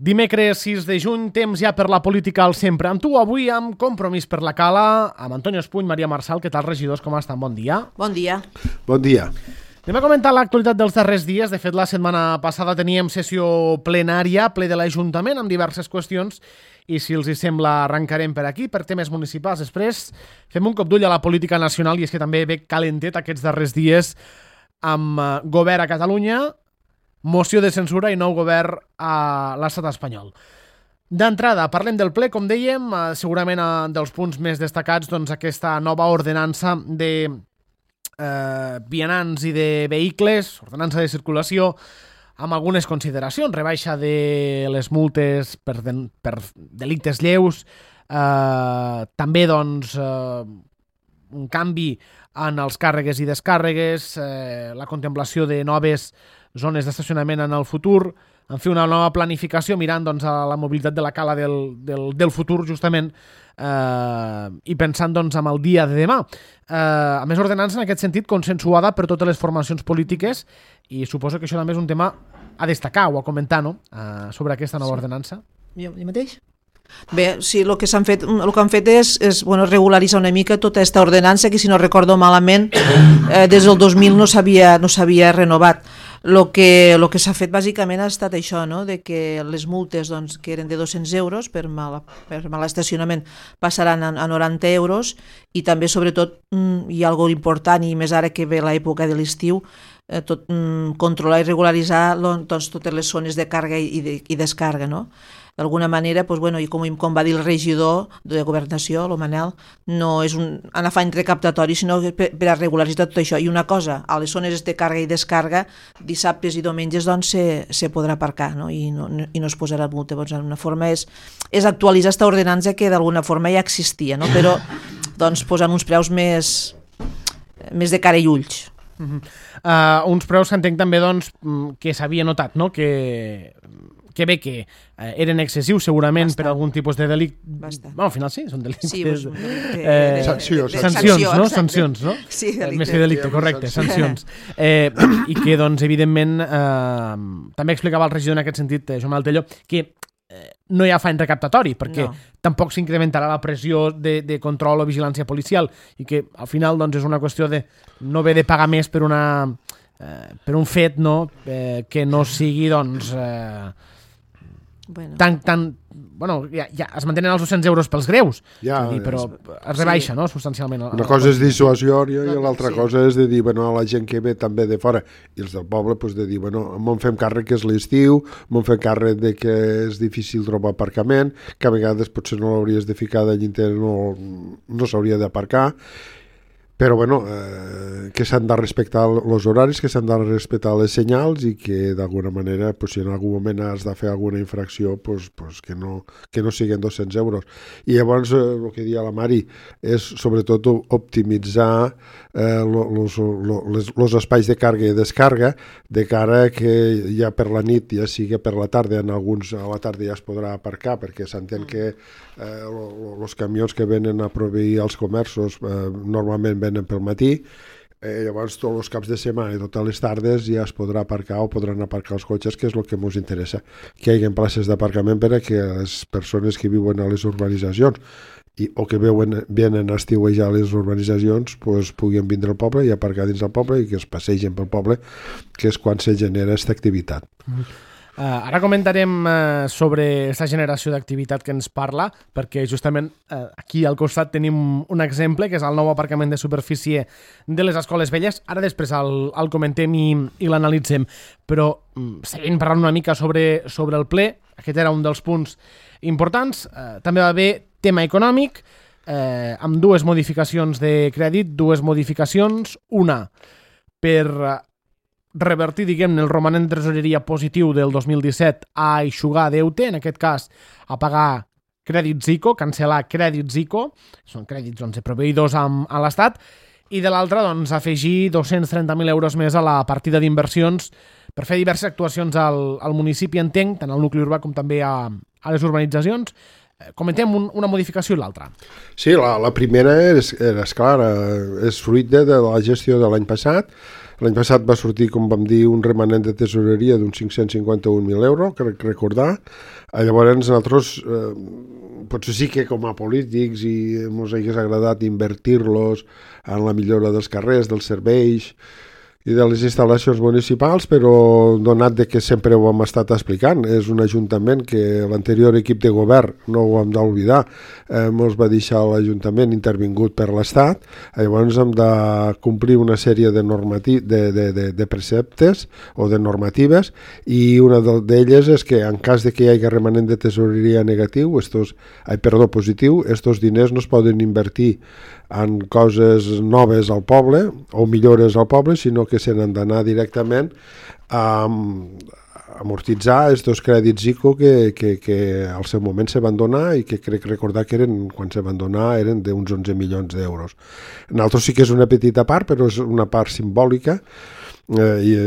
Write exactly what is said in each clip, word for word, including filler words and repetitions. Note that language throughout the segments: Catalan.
Dimecres sis de juny, temps ja per la política al sempre. Amb tu avui amb Compromís per la Cala, amb Antonio Espuny, Maria Marçal. Què tal, regidors? Com estan? Bon dia. Bon dia. Bon dia. Anem a comentar l'actualitat dels darrers dies. De fet, la setmana passada teníem sessió plenària, ple de l'Ajuntament, amb diverses qüestions, i si els hi sembla arrencarem per aquí, per temes municipals. Després fem un cop d'ull a la política nacional, i és que també ve calentet aquests darrers dies amb govern a Catalunya, moció de censura i nou govern a l'estat espanyol. D'entrada, parlem del ple, com dèiem, segurament dels punts més destacats, doncs aquesta nova ordenança de eh, vianants i de vehicles, ordenança de circulació, amb algunes consideracions, rebaixa de les multes per, de, per delictes lleus, eh, també doncs eh, un canvi en els càrregues i descàrregues, eh, la contemplació de noves zones d'estacionament en el futur, en fi, una nova planificació mirant doncs, a la mobilitat de la cala del, del, del futur, justament, eh, i pensant doncs, en el dia de demà. Eh, a més, ordenança en aquest sentit consensuada per totes les formacions polítiques, i suposo que això també és un tema a destacar o a comentar, no?, eh, sobre aquesta nova ordenança. Jo, jo mateix? Bé, sí, el que s'han fet, el que han fet és, és bueno, regularitzar una mica tota aquesta ordenança que, si no recordo malament, eh, des del dos mil no s'havia no s'havia renovat. El que, lo que s'ha fet bàsicament ha estat això, no?, de que les multes, doncs, que eren de dos-cents euros per mal, per mal estacionament passaran a, a noranta euros, i també, sobretot, hi ha alguna important, i més ara que ve l'època de l'estiu, eh, tot, mm, controlar i regularitzar doncs, totes les zones de càrrega i, de, i descàrrega, no? D'alguna manera, doncs, bueno, i com, com va dir el regidor de Governació, el Manel, no és un, un afany recaptatori, sinó per, per a regularitzar tot això. I una cosa, a les zones de càrrega i descàrrega, dissabtes i diumenges doncs, se, se podrà aparcar, no? I, no, i no es posarà multa. Doncs, una forma és, és actualitzar aquesta ordenança que d'alguna forma ja existia, no? Però doncs, posant uns preus més, més de cara i ulls. Uh-huh. uh, uns preus que entenc també doncs, que s'havia notat, no?, que... que bé que eh, eren excessius segurament Bastant. Per algun tipus de delicte. Bueno, al final sí, són delictes. Sí, doncs, delicte, eh, de, sanció, de, de, sancions, sanció, no? exacte. Sancions, no? Sí, delicte. Més que delicte, correcte, sancions. Eh, I que, doncs, evidentment, eh, també explicava el regidor en aquest sentit, eh, Joan Maltelló, que eh, no hi ha afany recaptatori, perquè no. Tampoc s'incrementarà la pressió de, de control o vigilància policial, i que al final doncs, és una qüestió de no haver de pagar més per una eh, per un fet, no?, eh, que no sigui, doncs... Eh, Bueno. Tan, tan, bueno, ja, ja es mantenen els dos-cents euros pels greus, ja, dir, però es rebaixa, sí. No?, substancialment. Una cosa és dissuasió i l'altra sí. cosa és de dir, bueno, a la gent que ve també de fora i els del poble, doncs de dir, bueno, m'en fem càrrec que és l'estiu, m'en fem càrrec de que és difícil trobar aparcament, que a vegades potser no l'hauries de ficar de llinter, no, no s'hauria d'aparcar, però bueno, eh, que s'han de respectar els horaris, que s'han de respectar les senyals i que d'alguna manera, pues, si en algun moment has de fer alguna infracció, pues, pues, que, no, que no siguin dos-cents euros. I llavors, eh, el que dia la Mari és sobretot optimitzar eh, los, los, los espais de càrrega i descàrrega de cara que ja per la nit, ja sigui per la tarda, en alguns a la tarda ja es podrà aparcar, perquè s'entén que eh, els camions que venen a proveir als comerços eh, normalment venen pel matí, eh, llavors tots els caps de setmana i totes les tardes ja es podrà aparcar o podran aparcar els cotxes, que és el que ens interessa, que hi hagi places d'aparcament per a que les persones que viuen a les urbanitzacions i, o que veuen, venen a estiuejar a les urbanitzacions pues, puguin vindre al poble i aparcar dins del poble i que es passegen pel poble, que és quan se genera aquesta activitat. Mm-hmm. Uh, ara comentarem uh, sobre aquesta generació d'activitat que ens parla, perquè justament uh, aquí al costat tenim un exemple, que és el nou aparcament de superfície de les Escoles Velles. Ara després el, el comentem i, i l'analitzem, però um, seguint parlant una mica sobre, sobre el ple, aquest era un dels punts importants. Uh, també va haver tema econòmic, eh, amb dues modificacions de crèdit, dues modificacions, una per... Uh, revertir, diguem-ne, el romanent de tresoreria positiu del dos mil disset a eixugar deute, en aquest cas a pagar crèdits ICO, cancel·lar crèdits ICO, són crèdits doncs, de proveïdors amb, a l'Estat, i de l'altra doncs, afegir dos-cents trenta mil euros més a la partida d'inversions per fer diverses actuacions al, al municipi, entenc, tant al nucli urbà com també a, a les urbanitzacions. Comentem un, una modificació i l'altra. Sí, la, la primera és, és clar, és fruit de, de la gestió de l'any passat. L'any passat va sortir, com vam dir, un remanent de tesoreria d'uns cinc-cents cinquanta-un mil euros, crec recordar. Llavors, nosaltres, eh, potser sí que com a polítics i ens hagués agradat invertir-los en la millora dels carrers, dels serveis i de les instal·lacions municipals, però donat de que sempre ho hem estat explicant, és un ajuntament que l'anterior equip de govern, no ho hem d'oblidar, eh, ens va deixar l'Ajuntament intervingut per l'Estat, llavors hem de complir una sèrie de, normati de, de, de, de preceptes o de normatives, i una d'elles és que en cas de que hi hagi remanent de tesoreria negatiu, estos, ai, perdó, positiu, estos diners no es poden invertir en coses noves al poble o millores al poble, sinó que se n'han d'anar directament a amortitzar aquests crèdits I C O que, que, que al seu moment se van donar i que crec recordar que eren, quan se van donar eren d'uns onze milions d'euros. Nosaltres sí que és una petita part, però és una part simbòlica, eh, i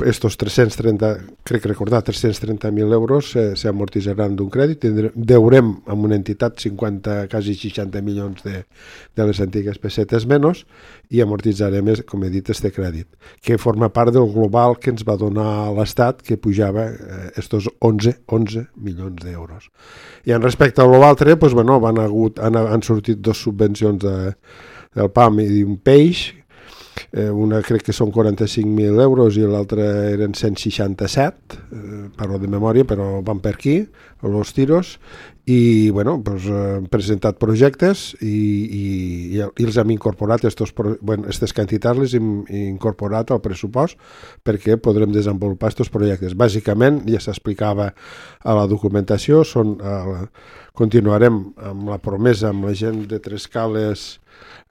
estos tres-cents trenta, crec recordar, tres-cents trenta mil euros se, se amortitzaran d'un crèdit, deurem amb una entitat cinquanta, quasi seixanta milions de, de les antigues pessetes menys, i amortitzarem, com he dit, este crèdit, que forma part del global que ens va donar l'Estat, que pujava eh, estos onze, onze milions d'euros. I en respecte a l'altre, pues, bueno, van hagut, han, han sortit dos subvencions de, del P A M i un peix. Eh, una crec que són quaranta-cinc mil euros i l'altra eren cent seixanta-set, eh, parlo de memòria, però van per aquí, els tiros, i bueno, pues, eh, hem presentat projectes i, i, i, i els hem incorporat, estos, bueno, aquestes quantitats les hem incorporat al pressupost perquè podrem desenvolupar aquests projectes. Bàsicament, ja s'explicava a la documentació, són, eh, continuarem amb la promesa amb la gent de Trescales.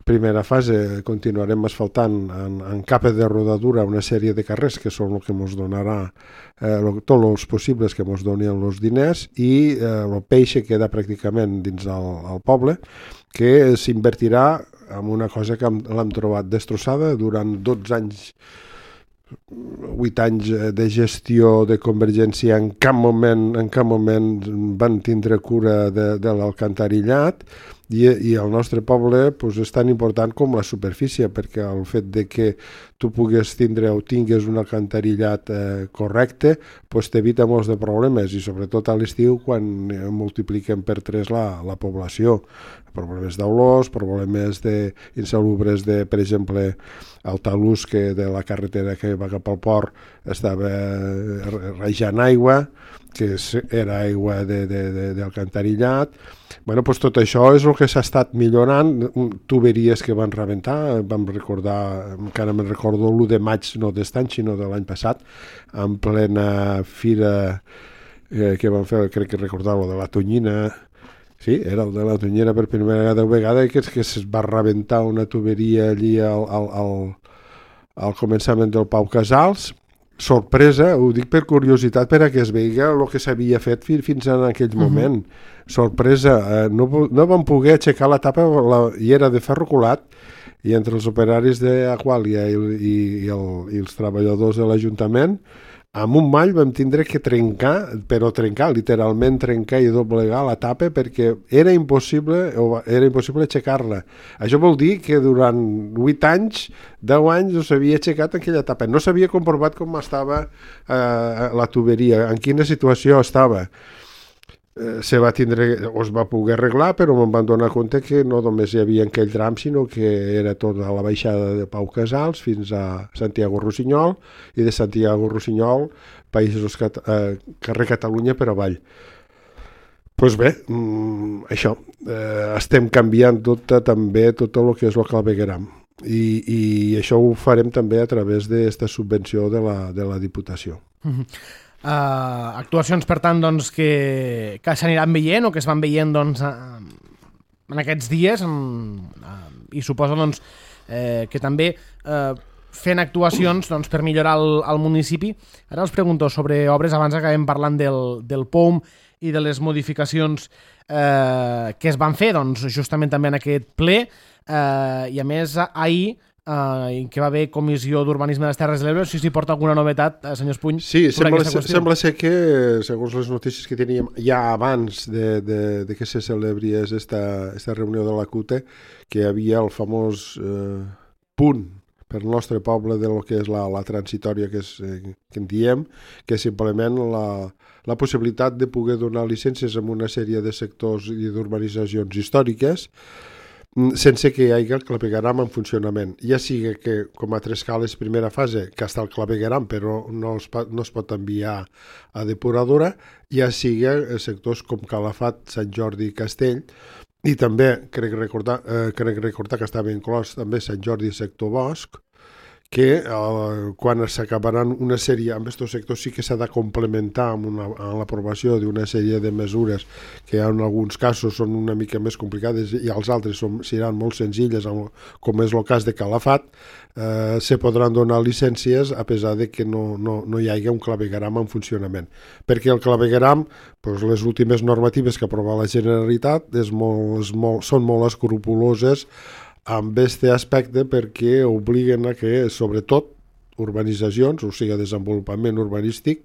Primera fase, continuarem asfaltant en, en capa de rodadura una sèrie de carrers que són el que ens donarà eh, lo, tots els possibles que ens donin els diners, i eh, el peix queda pràcticament dins el, el poble, que s'invertirà en una cosa que l'hem trobat destrossada durant dotze anys, vuit anys de gestió de Convergència. En cap moment, en cap moment van tindre cura de, de l'alcantarillat, i, i el nostre poble pues, és tan important com la superfície, perquè el fet de que tu pugues tindre o tingues un alcantarillat eh, correcte pues, t'evita molts de problemes, i sobretot a l'estiu quan multipliquem per tres la, la població. Problemes d'olors, problemes de insalubres de, per exemple, el talús que de la carretera que va cap al port estava rejant aigua, que era aigua d'alcantarillat. Bueno, pues tot això és el que s'ha estat millorant, tuberies que van rebentar, vam recordar, encara me'n recordo l'u de maig, no d'est any, sinó de l'any passat, en plena fira eh, que van fer, crec que recordar lo de la Tonyina. Sí, era el de la Tonyina per primera vegada, i que, que es va rebentar una tuberia allí al, al, al, al començament del Pau Casals. Sorpresa, ho dic per curiositat, per a que es veiga el que s'havia fet fins en aquell moment. Uh-huh. Sorpresa, eh, no, no vam poder aixecar la tapa, la, i era de ferro colat, i entre els operaris d'Aquàlia i, i, i, el, i els treballadors de l'Ajuntament, amb un mall vam tindre que trencar, però trencar, literalment trencar i doblegar la tapa, perquè era impossible, era impossible aixecar-la. Això vol dir que durant vuit anys, deu anys, no s'havia aixecat aquella tapa. No s'havia comprovat com estava eh, la tuberia, en quina situació estava. Eh, se va tindre, o es va poder arreglar, però me'n van donar compte que no només hi havia aquell tram, sinó que era tota la baixada de Pau Casals fins a Santiago Rossinyol, i de Santiago Rossinyol, Països Cat eh, carrer Catalunya per avall. Doncs pues bé, mm, això, eh, estem canviant tot, també tot el que és el clavegueram. I, i això ho farem també a través d'aquesta subvenció de la, de la Diputació. Mm-hmm. Uh, actuacions, per tant, doncs, que, que s'aniran veient o que es van veient doncs, uh, en aquests dies, en, uh, i suposo doncs, eh, que també uh, fent actuacions doncs, per millorar el, el municipi. Ara els pregunto sobre obres, abans acabem parlant del, del P O M i de les modificacions eh, que es van fer doncs, justament també en aquest ple, eh, i a més ahir Uh, que va haver Comissió d'Urbanisme de les Terres de l'Ebre. Si s'hi porta alguna novetat, uh, senyor Espuny, sí, sobre sembla, aquesta qüestió? Sembla ser que, segons les notícies que teníem ja abans de, de, de que se celebri esta, esta reunió de la C U T E, que hi havia el famós eh, punt per el nostre poble de lo que és la, la transitòria que, és, eh, que en diem, que és simplement la, la possibilitat de poder donar llicències en una sèrie de sectors i d'urbanitzacions històriques sense que hi hagi el clavegueram en funcionament. Ja sigui que, com a tres cales primera fase, que està el clavegueram però no es, no es pot enviar a depuradora, ja sigui sectors com Calafat, Sant Jordi i Castell, i també crec recordar, eh, crec recordar que estava inclòs també Sant Jordi i sector Bosc, que eh, quan s'acabaran una sèrie, amb aquests sectors sí que s'ha de complementar amb, una, amb l'aprovació d'una sèrie de mesures que en alguns casos són una mica més complicades i els altres són, seran molt senzilles, com és el cas de Calafat, eh, se podran donar llicències a pesar de que no, no, no hi hagi un clavegueram en funcionament. Perquè el clavegueram, doncs, les últimes normatives que aprova la Generalitat és molt, és molt, són molt escrupuloses amb aquest aspecte perquè obliguen a que, sobretot, urbanitzacions, o sigui, desenvolupament urbanístic,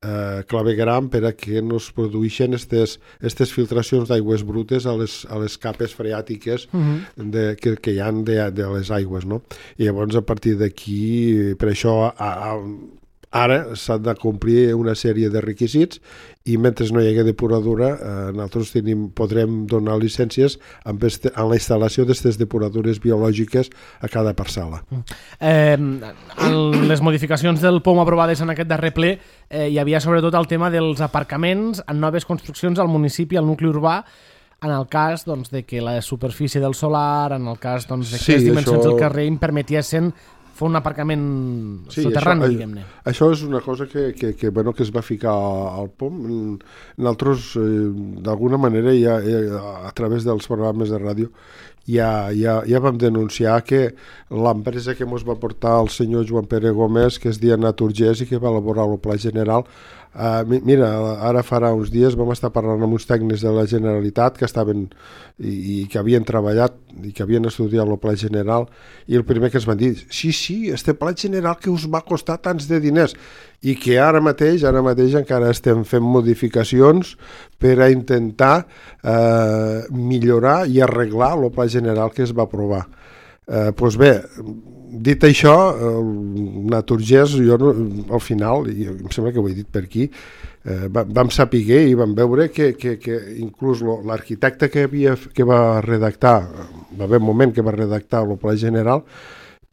eh, clavegueram per a que no es produeixen aquestes filtracions d'aigües brutes a les, a les capes freàtiques uh-huh. de, que, que hi ha de, de les aigües, no? I llavors, a partir d'aquí, per això, a, a, ara s'han de complir una sèrie de requisits i mentre no hi hagi depuradora eh, nosaltres tenim, podrem donar llicències amb, este, amb la instal·lació d'aquestes depuradores biològiques a cada parcel·la. Eh, en les modificacions del P O M aprovades en aquest darrer ple eh, hi havia sobretot el tema dels aparcaments en noves construccions al municipi, al nucli urbà, en el cas doncs, de que la superfície del solar, en el cas doncs, de que sí, les dimensions això... del carrer em permetiessin fer un aparcament sí, soterrani, això, diguem-ne. Això és una cosa que, que, que, bueno, que es va ficar al P O M. Nosaltres, eh, d'alguna manera, ja, ja, a través dels programes de ràdio, ja, ja, ja vam denunciar que l'empresa que ens va portar el senyor Joan Pere Gómez, que es deia Naturgés i que va elaborar el pla general, Uh, mira, ara farà uns dies vam estar parlant amb uns tècnics de la Generalitat que estaven i, i que havien treballat i que havien estudiat el pla general i el primer que ens van dir, sí, sí, este pla general que us va costar tants de diners i que ara mateix, ara mateix encara estem fent modificacions per a intentar uh, millorar i arreglar el pla general que es va aprovar. Eh, doncs bé, dit això, el Naturgés, jo no, al final, i em sembla que ho he dit per aquí, eh, vam saber i vam veure que, que, que inclús l'arquitecte que, havia, que va redactar, va haver un moment que va redactar el pla general,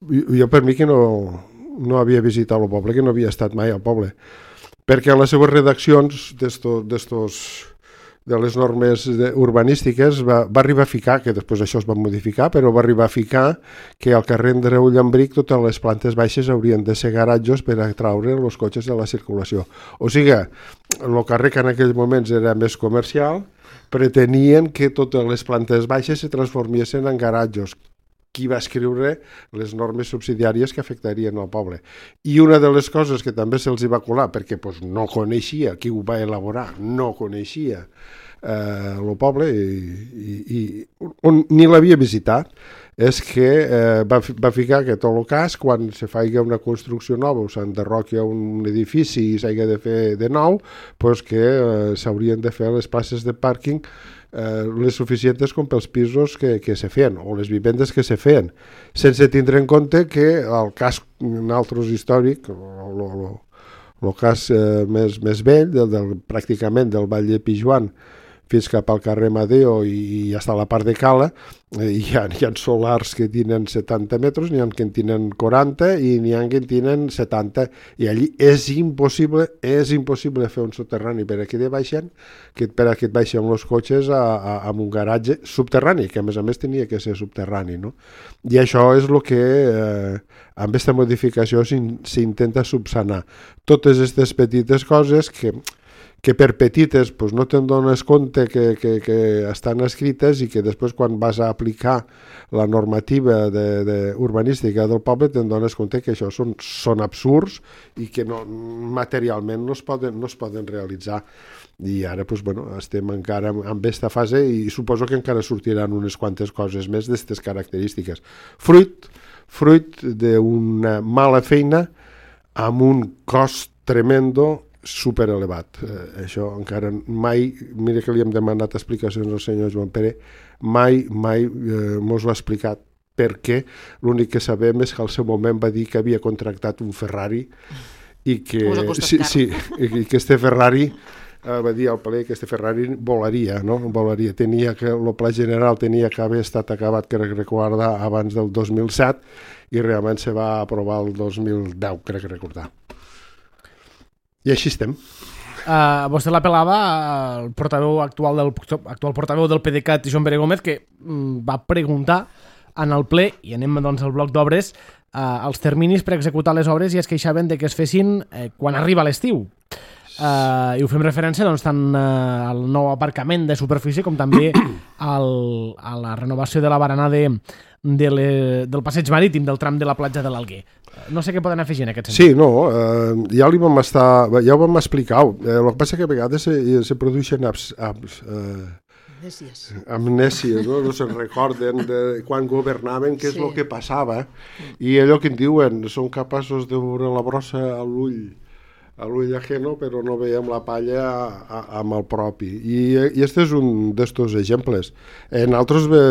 jo per mi que no, no havia visitat el poble, que no havia estat mai al poble, perquè en les seves redaccions d'estos de les normes urbanístiques va, va arribar a ficar, que després això es va modificar, però va arribar a ficar que al carrer Andreu Llambric totes les plantes baixes haurien de ser garatjos per atraure els cotxes de la circulació. O sigui, el carrer que en aquells moments era més comercial, pretenien que totes les plantes baixes se transformessin en garatjos. Qui va escriure les normes subsidiàries que afectarien al poble. I una de les coses que també se'ls va colar, perquè pues, no coneixia qui ho va elaborar, no coneixia eh, el poble i, i, i on, ni l'havia visitat, és que eh, va, va ficar que tot el cas, quan se faci una construcció nova o s'enderroqui un edifici i s'hagi de fer de nou, pues que eh, s'haurien de fer les places de pàrquing Eh, les suficients com pels pisos que, que se feien, o les vivendes que se feien, sense tindre en compte que el cas nosaltres històric, el cas eh, més, més vell, del, del, pràcticament del Vall de Pijuan fins cap al carrer Madeo i, i hasta la part de Cala, eh, hi, ha, hi ha solars que tenen setanta metres, n'hi ha que en tenen quaranta i n'hi ha que en tenen setanta, i allí és impossible, és impossible fer un soterrani per a que de baixen, que per a que et baixen els cotxes a, a, a un garatge subterrani, que a més a més tenia que ser subterrani, no? I això és el que eh, amb aquesta modificació s'intenta subsanar. Totes aquestes petites coses que que per petites pues, no te'n dones compte que, que, que estan escrites i que després quan vas a aplicar la normativa de, de urbanística del poble te'n dones compte que això són, són absurds i que no, materialment no es poden, no es poden realitzar. I ara pues, bueno, estem encara en aquesta fase i suposo que encara sortiran unes quantes coses més d'aquestes característiques. Fruit, fruit d'una mala feina amb un cost tremendo super elevat. Eh, això encara mai, mira que li hem demanat explicacions al senyor Joan Pere, mai, mai eh, mos l'ha explicat perquè l'únic que sabem és que al seu moment va dir que havia contractat un Ferrari i que, sí, sí, i que este Ferrari eh, va dir al ple que este Ferrari volaria, no? Volaria. Tenia que, el pla general tenia que haver estat acabat, crec recordar, abans del dos mil set i realment se va aprovar el dos mil deu, crec recordar. I així estem. Uh, vostè l'apel·lava al portaveu actual del, actual portaveu del PDeCAT, Joan Pere Gómez, que mm, va preguntar en el ple, i anem doncs al bloc d'obres, uh, els terminis per executar les obres i es queixaven de que es fessin eh, quan arriba l'estiu. Uh, I ho fem referència doncs, tant uh, al nou aparcament de superfície com també al, a la renovació de la barana de, de le, del passeig marítim del tram de la platja de l'Alguer. No sé què poden afegir en aquest sentit. Sí, no, eh, ja li vam estar, ja ho vam explicar. Eh, el que passa que a vegades se, se produeixen abs, abs, eh, amnèsies, amnèsies no? No se'n recorden de quan governaven què és el sí. que passava. I allò que en diuen, són capaços de veure la brossa a l'ull a l'ull ajeno, però no veiem la palla a, a, amb el propi. I, i este és un d'estos exemples. En altres, de,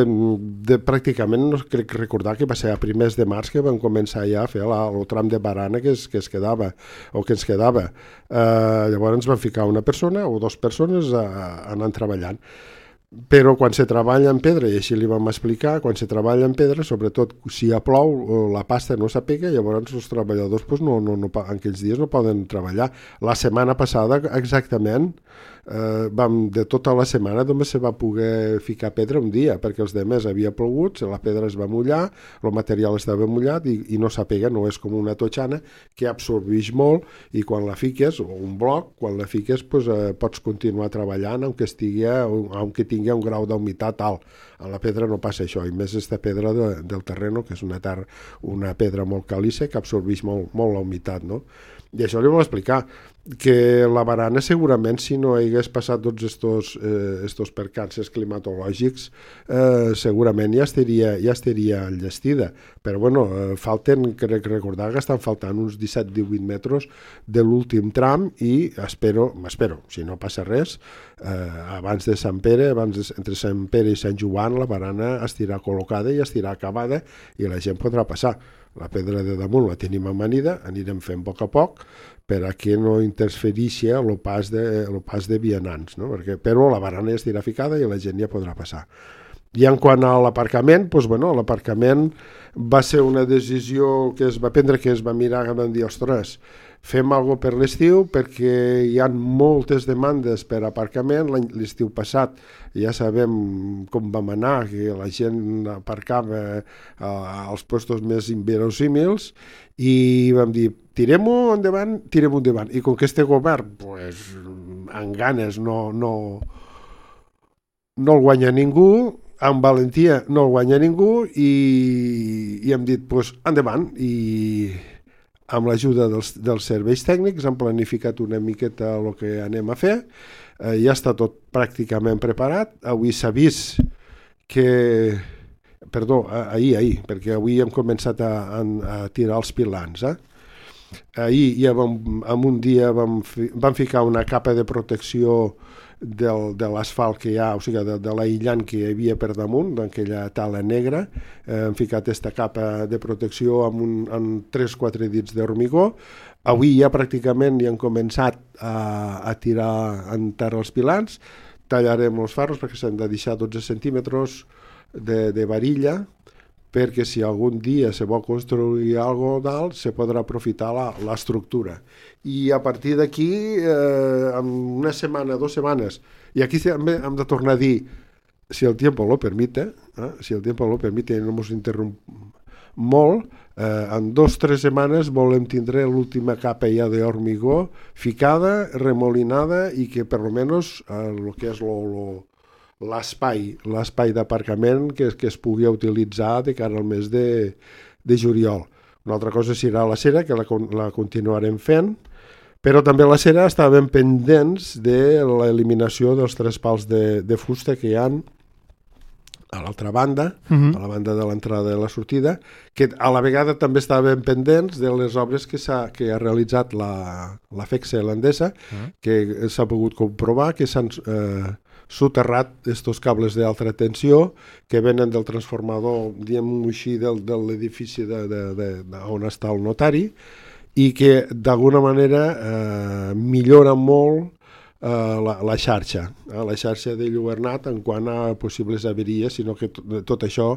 de, pràcticament, no crec recordar que va ser a primers de març que vam començar ja a fer la, el tram de barana que es, que es quedava, o que ens quedava. Eh, llavors ens van ficar una persona o dues persones a, a, anant treballant. Però quan se treballa en pedra, i així li vam explicar, quan se treballa en pedra, sobretot si ja plou, la pasta no s'apega, llavors els treballadors pues, no, no, no, en aquells dies no poden treballar. La setmana passada, exactament, eh, vam, de tota la setmana només se va poder ficar pedra un dia, perquè els demés havia plogut, la pedra es va mullar, el material estava mullat i, i no s'apega, no és com una totxana que absorbeix molt i quan la fiques, o un bloc, quan la fiques pues, eh, pots continuar treballant aunque estigui, aunque tingui un grau d'humitat alt. A la pedra no passa això, i més aquesta pedra de, del terreno, que és una, tar, una pedra molt caliça que absorbeix molt, molt la humitat, no? I això li vam explicar, que la barana segurament si no hagués passat tots estos, eh, estos percances climatològics eh, segurament ja estaria, ja estaria enllestida, però bueno, eh, falten, crec recordar que estan faltant uns disset divuit metres de l'últim tram i espero, m'espero, si no passa res, eh, abans de Sant Pere, abans de, entre Sant Pere i Sant Joan, la barana estirà col·locada i estirà acabada i la gent podrà passar. La pedra de damunt la tenim amanida, anirem fent a poc a poc per a que no interfereixi el pas de, el pas de vianants, no? Perquè, però la barana ja estirà ficada i la gent ja podrà passar. I en quant a l'aparcament, doncs, bueno, l'aparcament va ser una decisió que es va prendre, que es va mirar i vam dir, ostres, fem alguna cosa per l'estiu perquè hi ha moltes demandes per aparcament. L'estiu passat ja sabem com vam anar, que la gent aparcava als puestos més inverosímils i vam dir, tirem-ho endavant, tirem-ho endavant. I com que este govern, pues, amb ganes no, no, no el guanya ningú, amb valentia no el guanya ningú i, i hem dit, pues, endavant. I amb l'ajuda dels, dels serveis tècnics hem planificat una miqueta el que anem a fer. Eh, ja està tot pràcticament preparat. Avui s'ha vist que... Perdó, ahir, ahir, perquè avui hem començat a, a tirar els pilans. Eh? Ahir, ja vam, en un dia vam, fi, vam ficar una capa de protecció del, de l'asfalt que hi ha, o sigui, de, de l'aïllant que hi havia per damunt, d'aquella tala negra. Eh, hem ficat aquesta capa de protecció amb, un, amb tres o quatre dits d'hormigó. Avui ja pràcticament ja han començat a, a tirar en terra els pilans. Tallarem els ferros perquè s'han de deixar dotze centímetres de, de varilla, perquè si algun dia se vol construir alguna cosa dalt, se podrà aprofitar l'estructura. I a partir d'aquí, eh, en una setmana, dues setmanes, i aquí també hem de tornar a dir, si el tiempo lo permite, eh, si el tiempo lo permite i no ens interromp molt, eh, en dos o tres setmanes volem tindre l'última capa ja d'hormigó ficada, remolinada i que per almenys eh, el que és lo, lo l'espai, l'espai d'aparcament que, que es pugui utilitzar de cara al mes de, de juliol. Una altra cosa serà la cera, que la, la continuarem fent, però també la cera estàvem pendents de l'eliminació dels tres pals de, de fusta que hi ha a l'altra banda, uh-huh. a la banda de l'entrada i la sortida, que a la vegada també estàvem pendents de les obres que, s'ha, que ha realitzat la, la FECSA irlandesa, uh-huh. que s'ha pogut comprovar que s'han... Eh, soterrat estos cables d'alta tensió que venen del transformador, diguem-ho així, del, de l'edifici de, de, de, de, on està el notari, i que d'alguna manera eh, millora molt eh, la, la xarxa, eh, la xarxa de Lluernat en quant a possibles averies, sinó que tot, tot això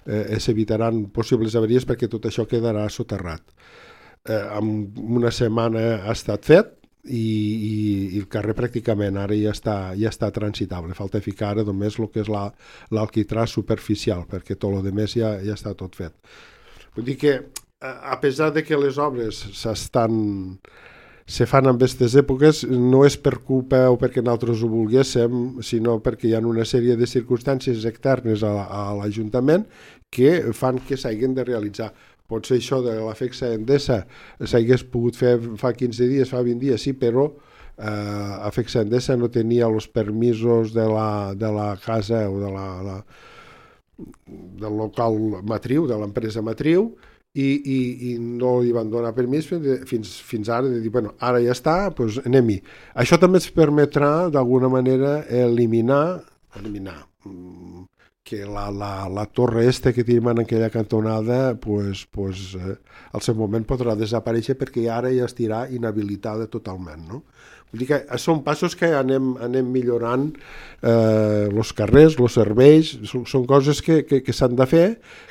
eh, s'evitaran possibles averies perquè tot això quedarà soterrat. Eh, en una setmana ha estat fet i, i, i el carrer pràcticament ara ja està, ja està transitable. Falta ficar ara només el que és la, l'alquitrà superficial, perquè tot el més ja, ja està tot fet. Vull dir que a pesar de que les obres s'estan se fan en aquestes èpoques, no és per culpa o perquè nosaltres ho volguéssim, sinó perquè hi ha una sèrie de circumstàncies externes a, a l'Ajuntament que fan que s'hagin de realitzar. Potser això de la Fexa Endesa s'hagués pogut fer fa quinze dies, fa vint dies, sí, però eh, a Fexa Endesa no tenia els permisos de la, de la casa o de la, la, del local matriu, de l'empresa matriu, I, i, i no li van donar permís fins, fins ara de dir, bueno, ara ja està, doncs anem-hi. Això també ens permetrà d'alguna manera eliminar, eliminar que la, la, la torre este que tenim en aquella cantonada pues, pues, eh, al seu moment podrà desaparèixer perquè ara ja estirà inhabilitada totalment, no? Vull dir que són passos que anem, anem millorant eh, els carrers, els serveis, són, són coses que, que, que s'han de fer,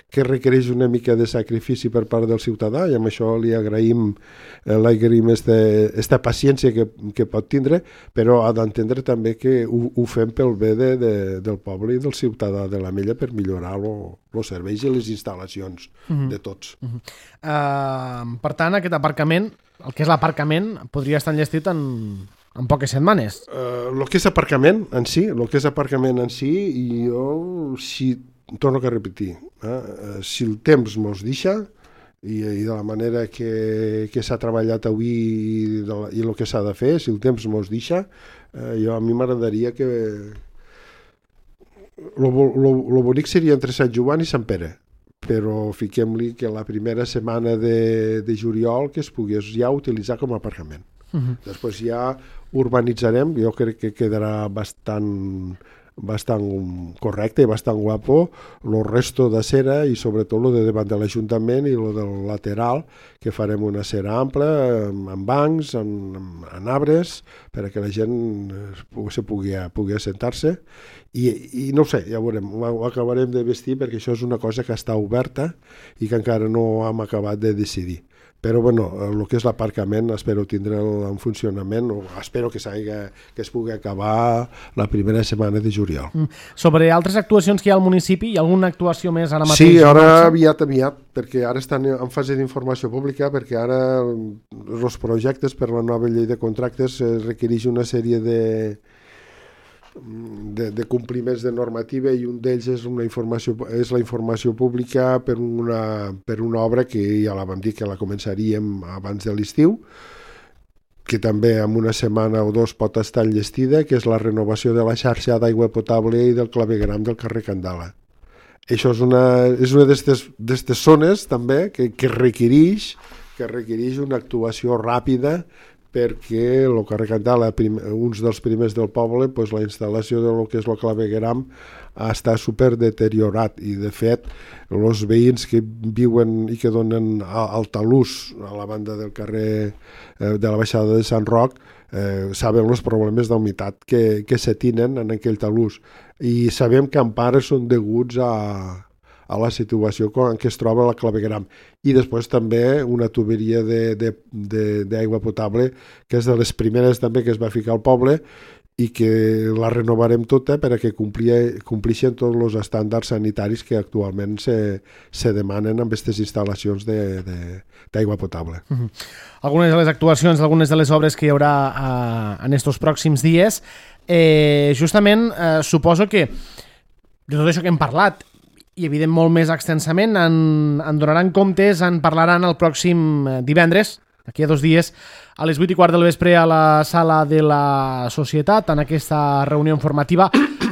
que requereix una mica de sacrifici per part del ciutadà i amb això li agraïm, eh, l'agraïm esta, esta paciència que, que pot tindre, però ha d'entendre també que ho, ho fem pel bé de, de, del poble i del ciutadà de l'Ametlla per millorar els serveis i les instal·lacions mm-hmm. de tots. Mm-hmm. Uh, per tant, aquest aparcament, el que és l'aparcament, podria estar enllestit en, en poques setmanes. Uh, el que és aparcament en si, el que és aparcament en si, i jo, si, torno a repetir, eh, si el temps mos deixa, i, i de la manera que, que s'ha treballat avui i, de la, i el que s'ha de fer, si el temps mos deixa, eh, jo a mi m'agradaria que lo, lo, lo bonic seria entre Sant Joan i Sant Pere, però fiquem-li que la primera setmana de, de juliol que es pogués ja utilitzar com a aparcament. Uh-huh. Després ja urbanitzarem, jo crec que quedarà bastant, bastant correcte i bastant guapo el resto de cera i sobretot el de davant de l'Ajuntament i el del lateral, que farem una cera ampla amb bancs, amb, amb arbres, perquè la gent se pugui, pugui assentar-se i, i no ho sé, ja veurem, ho acabarem de vestir perquè això és una cosa que està oberta i que encara no hem acabat de decidir. Però bueno, el que és l'aparcament espero tindre'l en funcionament, o espero que, que es pugui acabar la primera setmana de juliol. Mm. Sobre altres actuacions que hi ha al municipi, hi ha alguna actuació més ara mateix? Sí, ara aviat, aviat, perquè ara estan en fase d'informació pública, perquè ara els projectes per la nova llei de contractes requereix una sèrie de... De, de compliments de normativa i un d'ells és, una informació, és la informació pública per una, per una obra que ja la vam dir que la començaríem abans de l'estiu, que també en una setmana o dos pot estar enllestida, que és la renovació de la xarxa d'aigua potable i del clavegueram del carrer Candala. Això és una, és una d'aquestes zones també que, que requereix que requereix una actuació ràpida perquè el carrer Candala, uns dels primers del poble, doncs la instal·lació de lo que és el clavegueram està super deteriorat i de fet els veïns que viuen i que donen al talús a la banda del carrer eh, de la baixada de Sant Roc eh, saben els problemes d'humitat que, que se tenen en aquell talús i sabem que en part són deguts a a la situació en què es troba la clavegueram. I després també una tuberia d'aigua potable, que és de les primeres també que es va ficar al poble i que la renovarem tota perquè complixen tots els estàndards sanitaris que actualment se, se demanen amb aquestes instal·lacions d'aigua potable. Uh-huh. Algunes de les actuacions, algunes de les obres que hi haurà uh, en estos pròxims dies, eh, justament uh, suposo que de tot això que hem parlat, i evident molt més extensament, en, en donaran comptes, en parlaran el pròxim divendres, d'aquí a dos dies, a les vuit i quart del vespre a la sala de la Societat, en aquesta reunió informativa,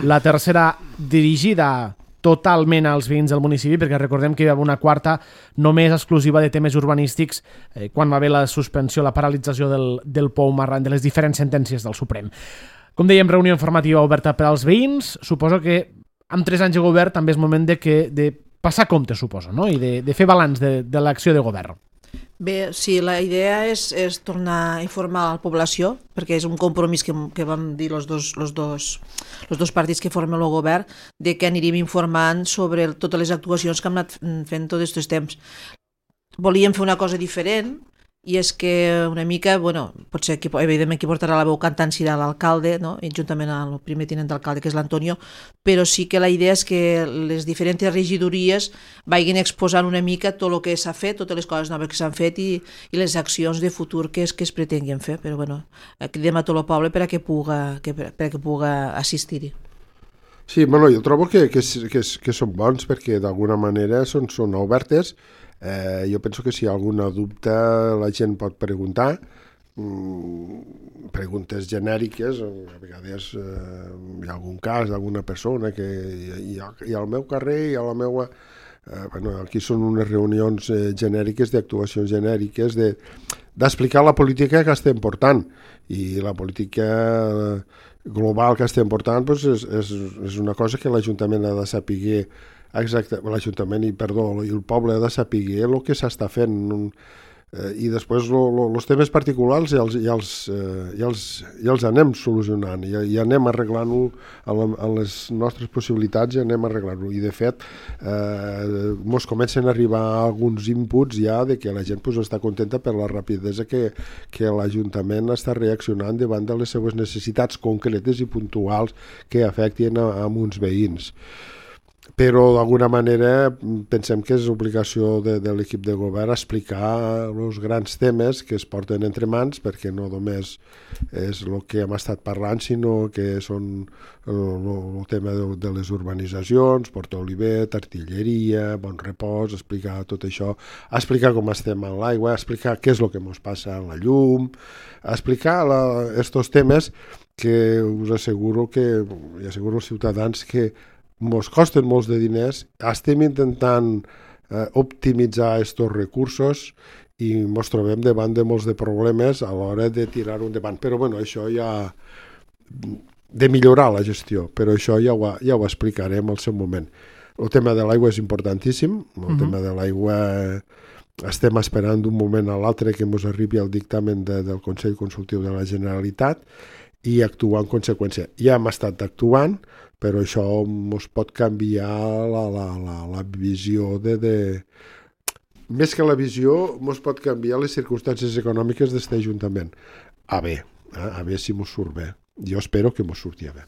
la tercera dirigida totalment als veïns del municipi, perquè recordem que hi va haver una quarta només exclusiva de temes urbanístics eh, quan va haver la suspensió, la paralització del, del P O U M arran de les diferents sentències del Suprem. Com dèiem, reunió informativa oberta per als veïns. Suposo que amb tres anys de govern també és moment de, que, de passar compte, suposo, no? I de, de fer balanç de, de l'acció de govern. Bé, sí, la idea és, és tornar a informar a la població, perquè és un compromís que, que vam dir els dos, los dos, los dos partits que formen el govern, de que anirem informant sobre totes les actuacions que hem anat fent tots aquests temps. Volíem fer una cosa diferent, i és que una mica, bueno, potser que, evidentment qui portarà la veu cantant serà l'alcalde, no? I juntament amb el primer tinent d'alcalde, que és l'Antonio, però sí que la idea és que les diferents regidories vagin exposant una mica tot el que s'ha fet, totes les coses noves que s'han fet i, i les accions de futur que es, que es pretenguin fer, però bueno, cridem a tot el poble per a que puga, que, per a que puga assistir-hi. Sí, bueno, jo trobo que, que, que, que són bons perquè d'alguna manera són, són obertes. Eh, jo penso que si hi ha alguna dubte la gent pot preguntar, mm, preguntes genèriques, a vegades eh, hi ha algun cas d'alguna persona que hi ha, hi ha al meu carrer, hi ha la meua... Eh, bueno, aquí són unes reunions eh, genèriques, d'actuacions genèriques, de, d'explicar la política que estem portant, i la política global que estem portant doncs és, és, és una cosa que l'Ajuntament ha de saber. Exacte, l'Ajuntament i, perdó, i el poble ha de saber el que s'està fent, eh, i després els temes particulars ja els, ja, els, eh, ja, els, ja els anem solucionant, ja, ja anem arreglant-ho a les nostres possibilitats, ja anem arreglant-ho, i de fet eh, mos comencen a arribar alguns inputs ja de que la gent pues, està contenta per la rapidesa que, que l'Ajuntament està reaccionant davant de les seues necessitats concretes i puntuals que afectin a, a uns veïns. Però d'alguna manera pensem que és obligació de, de l'equip de govern explicar els grans temes que es porten entre mans, perquè no només és el que hem estat parlant, sinó que són el, el tema de, de les urbanitzacions, Porta Olivet, artilleria, Bon Repòs, explicar tot això, explicar com estem en l'aigua, explicar què és el que ens passa en la llum, explicar aquests temes que us asseguro que, i asseguro als ciutadans que ens costen molts de diners, estem intentant eh, optimitzar aquests recursos i ens trobem davant de molts de problemes a l'hora de tirar-ho endavant. Però bueno, això ja... de millorar la gestió, però això ja ho, ja ho explicarem al seu moment. El tema de l'aigua és importantíssim, el uh-huh. tema de l'aigua estem esperant d'un moment a l'altre que ens arribi el dictamen de, del Consell Consultiu de la Generalitat i actuar en conseqüència. Ja hem estat actuant, però això ens pot canviar la, la, la, la visió de, de... Més que la visió, ens pot canviar les circumstàncies econòmiques d'aquest Ajuntament. A bé, eh? a bé si ens surt bé. Jo espero que ens surti bé.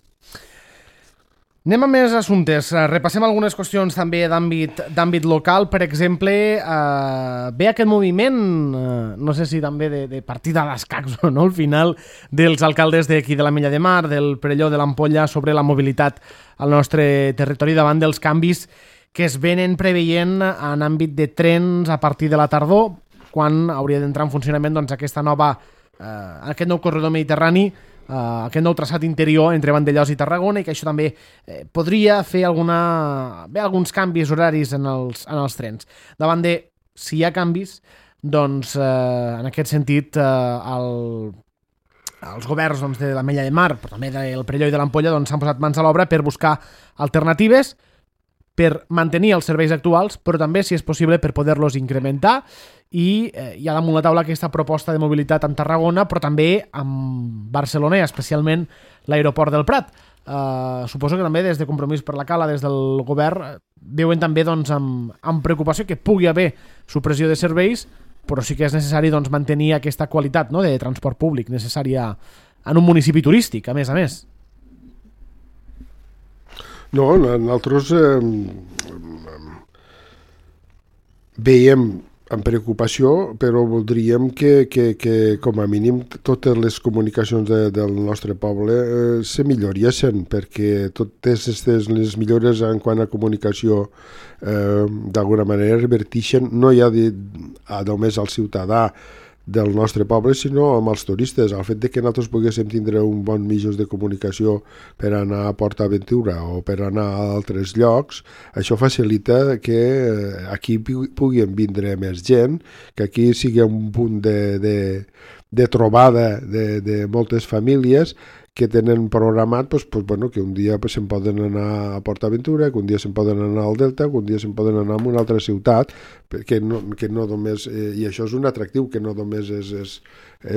Anem a més assumptes. Repassem algunes qüestions també d'àmbit d'àmbit local. Per exemple, eh, ve aquest moviment, eh, no sé si també de, de partida d'escacs o no, al final, dels alcaldes d'aquí de l'Ametlla de Mar, del Perelló, de l'Ampolla, sobre la mobilitat al nostre territori davant dels canvis que es venen preveient en àmbit de trens a partir de la tardor, quan hauria d'entrar en funcionament doncs, aquesta nova, eh, aquest nou corredor mediterrani, Uh, aquest nou traçat interior entre Vandellòs i Tarragona, i que això també eh, podria fer alguna... bé, alguns canvis horaris en els, en els trens. Davant de, si hi ha canvis, doncs eh, en aquest sentit eh, el, els governs doncs, de l'Ametlla de Mar, però també del Perelló i de l'Ampolla doncs, s'han posat mans a l'obra per buscar alternatives, per mantenir els serveis actuals, però també, si és possible, per poder-los incrementar. I eh, hi ha damunt la taula aquesta proposta de mobilitat amb Tarragona, però també amb Barcelona, i especialment l'aeroport del Prat. Eh, suposo que també des de Compromís per la Cala, des del govern, veuen també doncs, amb, amb preocupació que pugui haver supressió de serveis, però sí que és necessari doncs, mantenir aquesta qualitat, no?, de transport públic necessària en un municipi turístic, a més a més. No, nosaltres eh, veiem amb preocupació, però voldríem que, que, que com a mínim totes les comunicacions de, del nostre poble eh, se milloressin, perquè totes aquestes les millores en quant a comunicació eh, d'alguna manera revertixen no ja de, a només al ciutadà del nostre poble, sinó amb els turistes. El fet de que nosaltres poguéssim tindre un bon mitjans de comunicació per anar a Port Aventura o per anar a altres llocs, això facilita que aquí puguin vindre més gent, que aquí sigui un punt de, de, de trobada de, de moltes famílies, que tenen programat pues, pues, bueno, que un dia pues, se'n poden anar a PortAventura, que un dia se'n poden anar al Delta, que un dia se'n poden anar a una altra ciutat, que no, que no només, eh, i això és un atractiu, que no només és, és,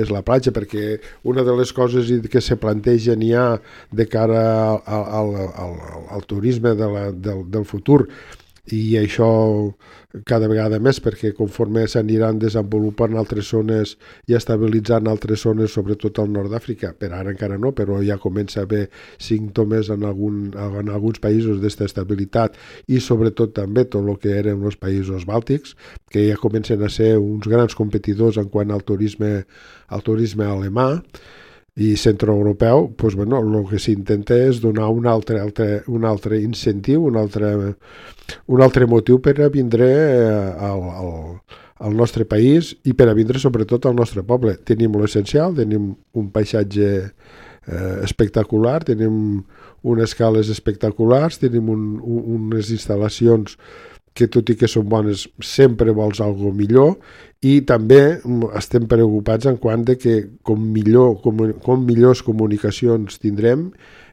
és la platja, perquè una de les coses que se plantegen ja de cara al, al, al, al turisme de la, del, del futur, i això cada vegada més, perquè conforme s'aniran desenvolupant altres zones i estabilitzant altres zones, sobretot al nord d'Àfrica, per ara encara no, però ja comença a haver símptomes en, algun, en alguns països d'esta estabilitat, i sobretot també tot el que eren els països bàltics, que ja comencen a ser uns grans competidors en quant al turisme, al turisme alemà i centroeuropeu, doncs, bueno, el que s'intenta és donar un altre, altre, un altre incentiu, un altre, un altre motiu per a vindre al, al, al nostre país i per a vindre sobretot al nostre poble. Tenim l'essencial, tenim un paisatge eh, espectacular, tenim unes cales espectaculars, tenim un, un, unes instal·lacions que tot i que són bones sempre vols algo millor, i també estem preocupats en quant de que com, millor, com, com millors comunicacions tindrem,